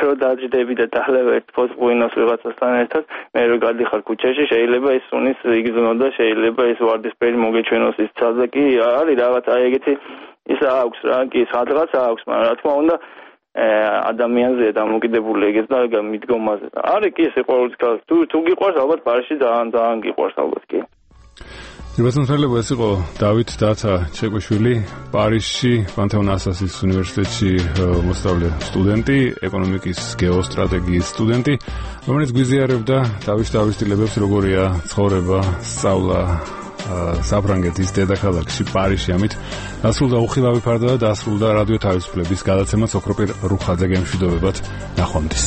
რო დაჯდები და დალევ ერთ ფოსტბუინოს ვიღაცასთან ერთად მე რო გადიხარ ქუჩაში შეიძლება ის სუნის იგზნო და შეიძლება ეს ვარდისფერი მოგეჩვენოს ის ცალზე კი არის რაღაც აი ეგეთი ის აქვს რა კი სადღაც აქვს მაგრამ რა თქმა უნდა ადამიანზეა დამოკიდებული ეგეც და მიდგომაზე არის კი სიყვარულის ქალაქი თუ გიყვარს ალბათ პარიზში ძალიან გიყვარს ალბათ კი Იბასმთელება ეს იყო დავით დათა ჩეკვიშვილი, პარიზში, პანთეონ ასასის უნივერსიტეტში მოსწავლე სტუდენტი, ეკონომიკის გეოსტრატეგიის სტუდენტი, რომელიც გვიზიარებდა თავისთავისtildeებს როგორია ცხოვრება, სწავლა საფრანგეთის დედაქალაქში პარიზში. ამით დასრულდა უხილავი ფარდა და დასრულდა რადიო თავისუფლების გადაცემა სოქროპირ რუხაძე გემშვიდობებად ნახვამდის.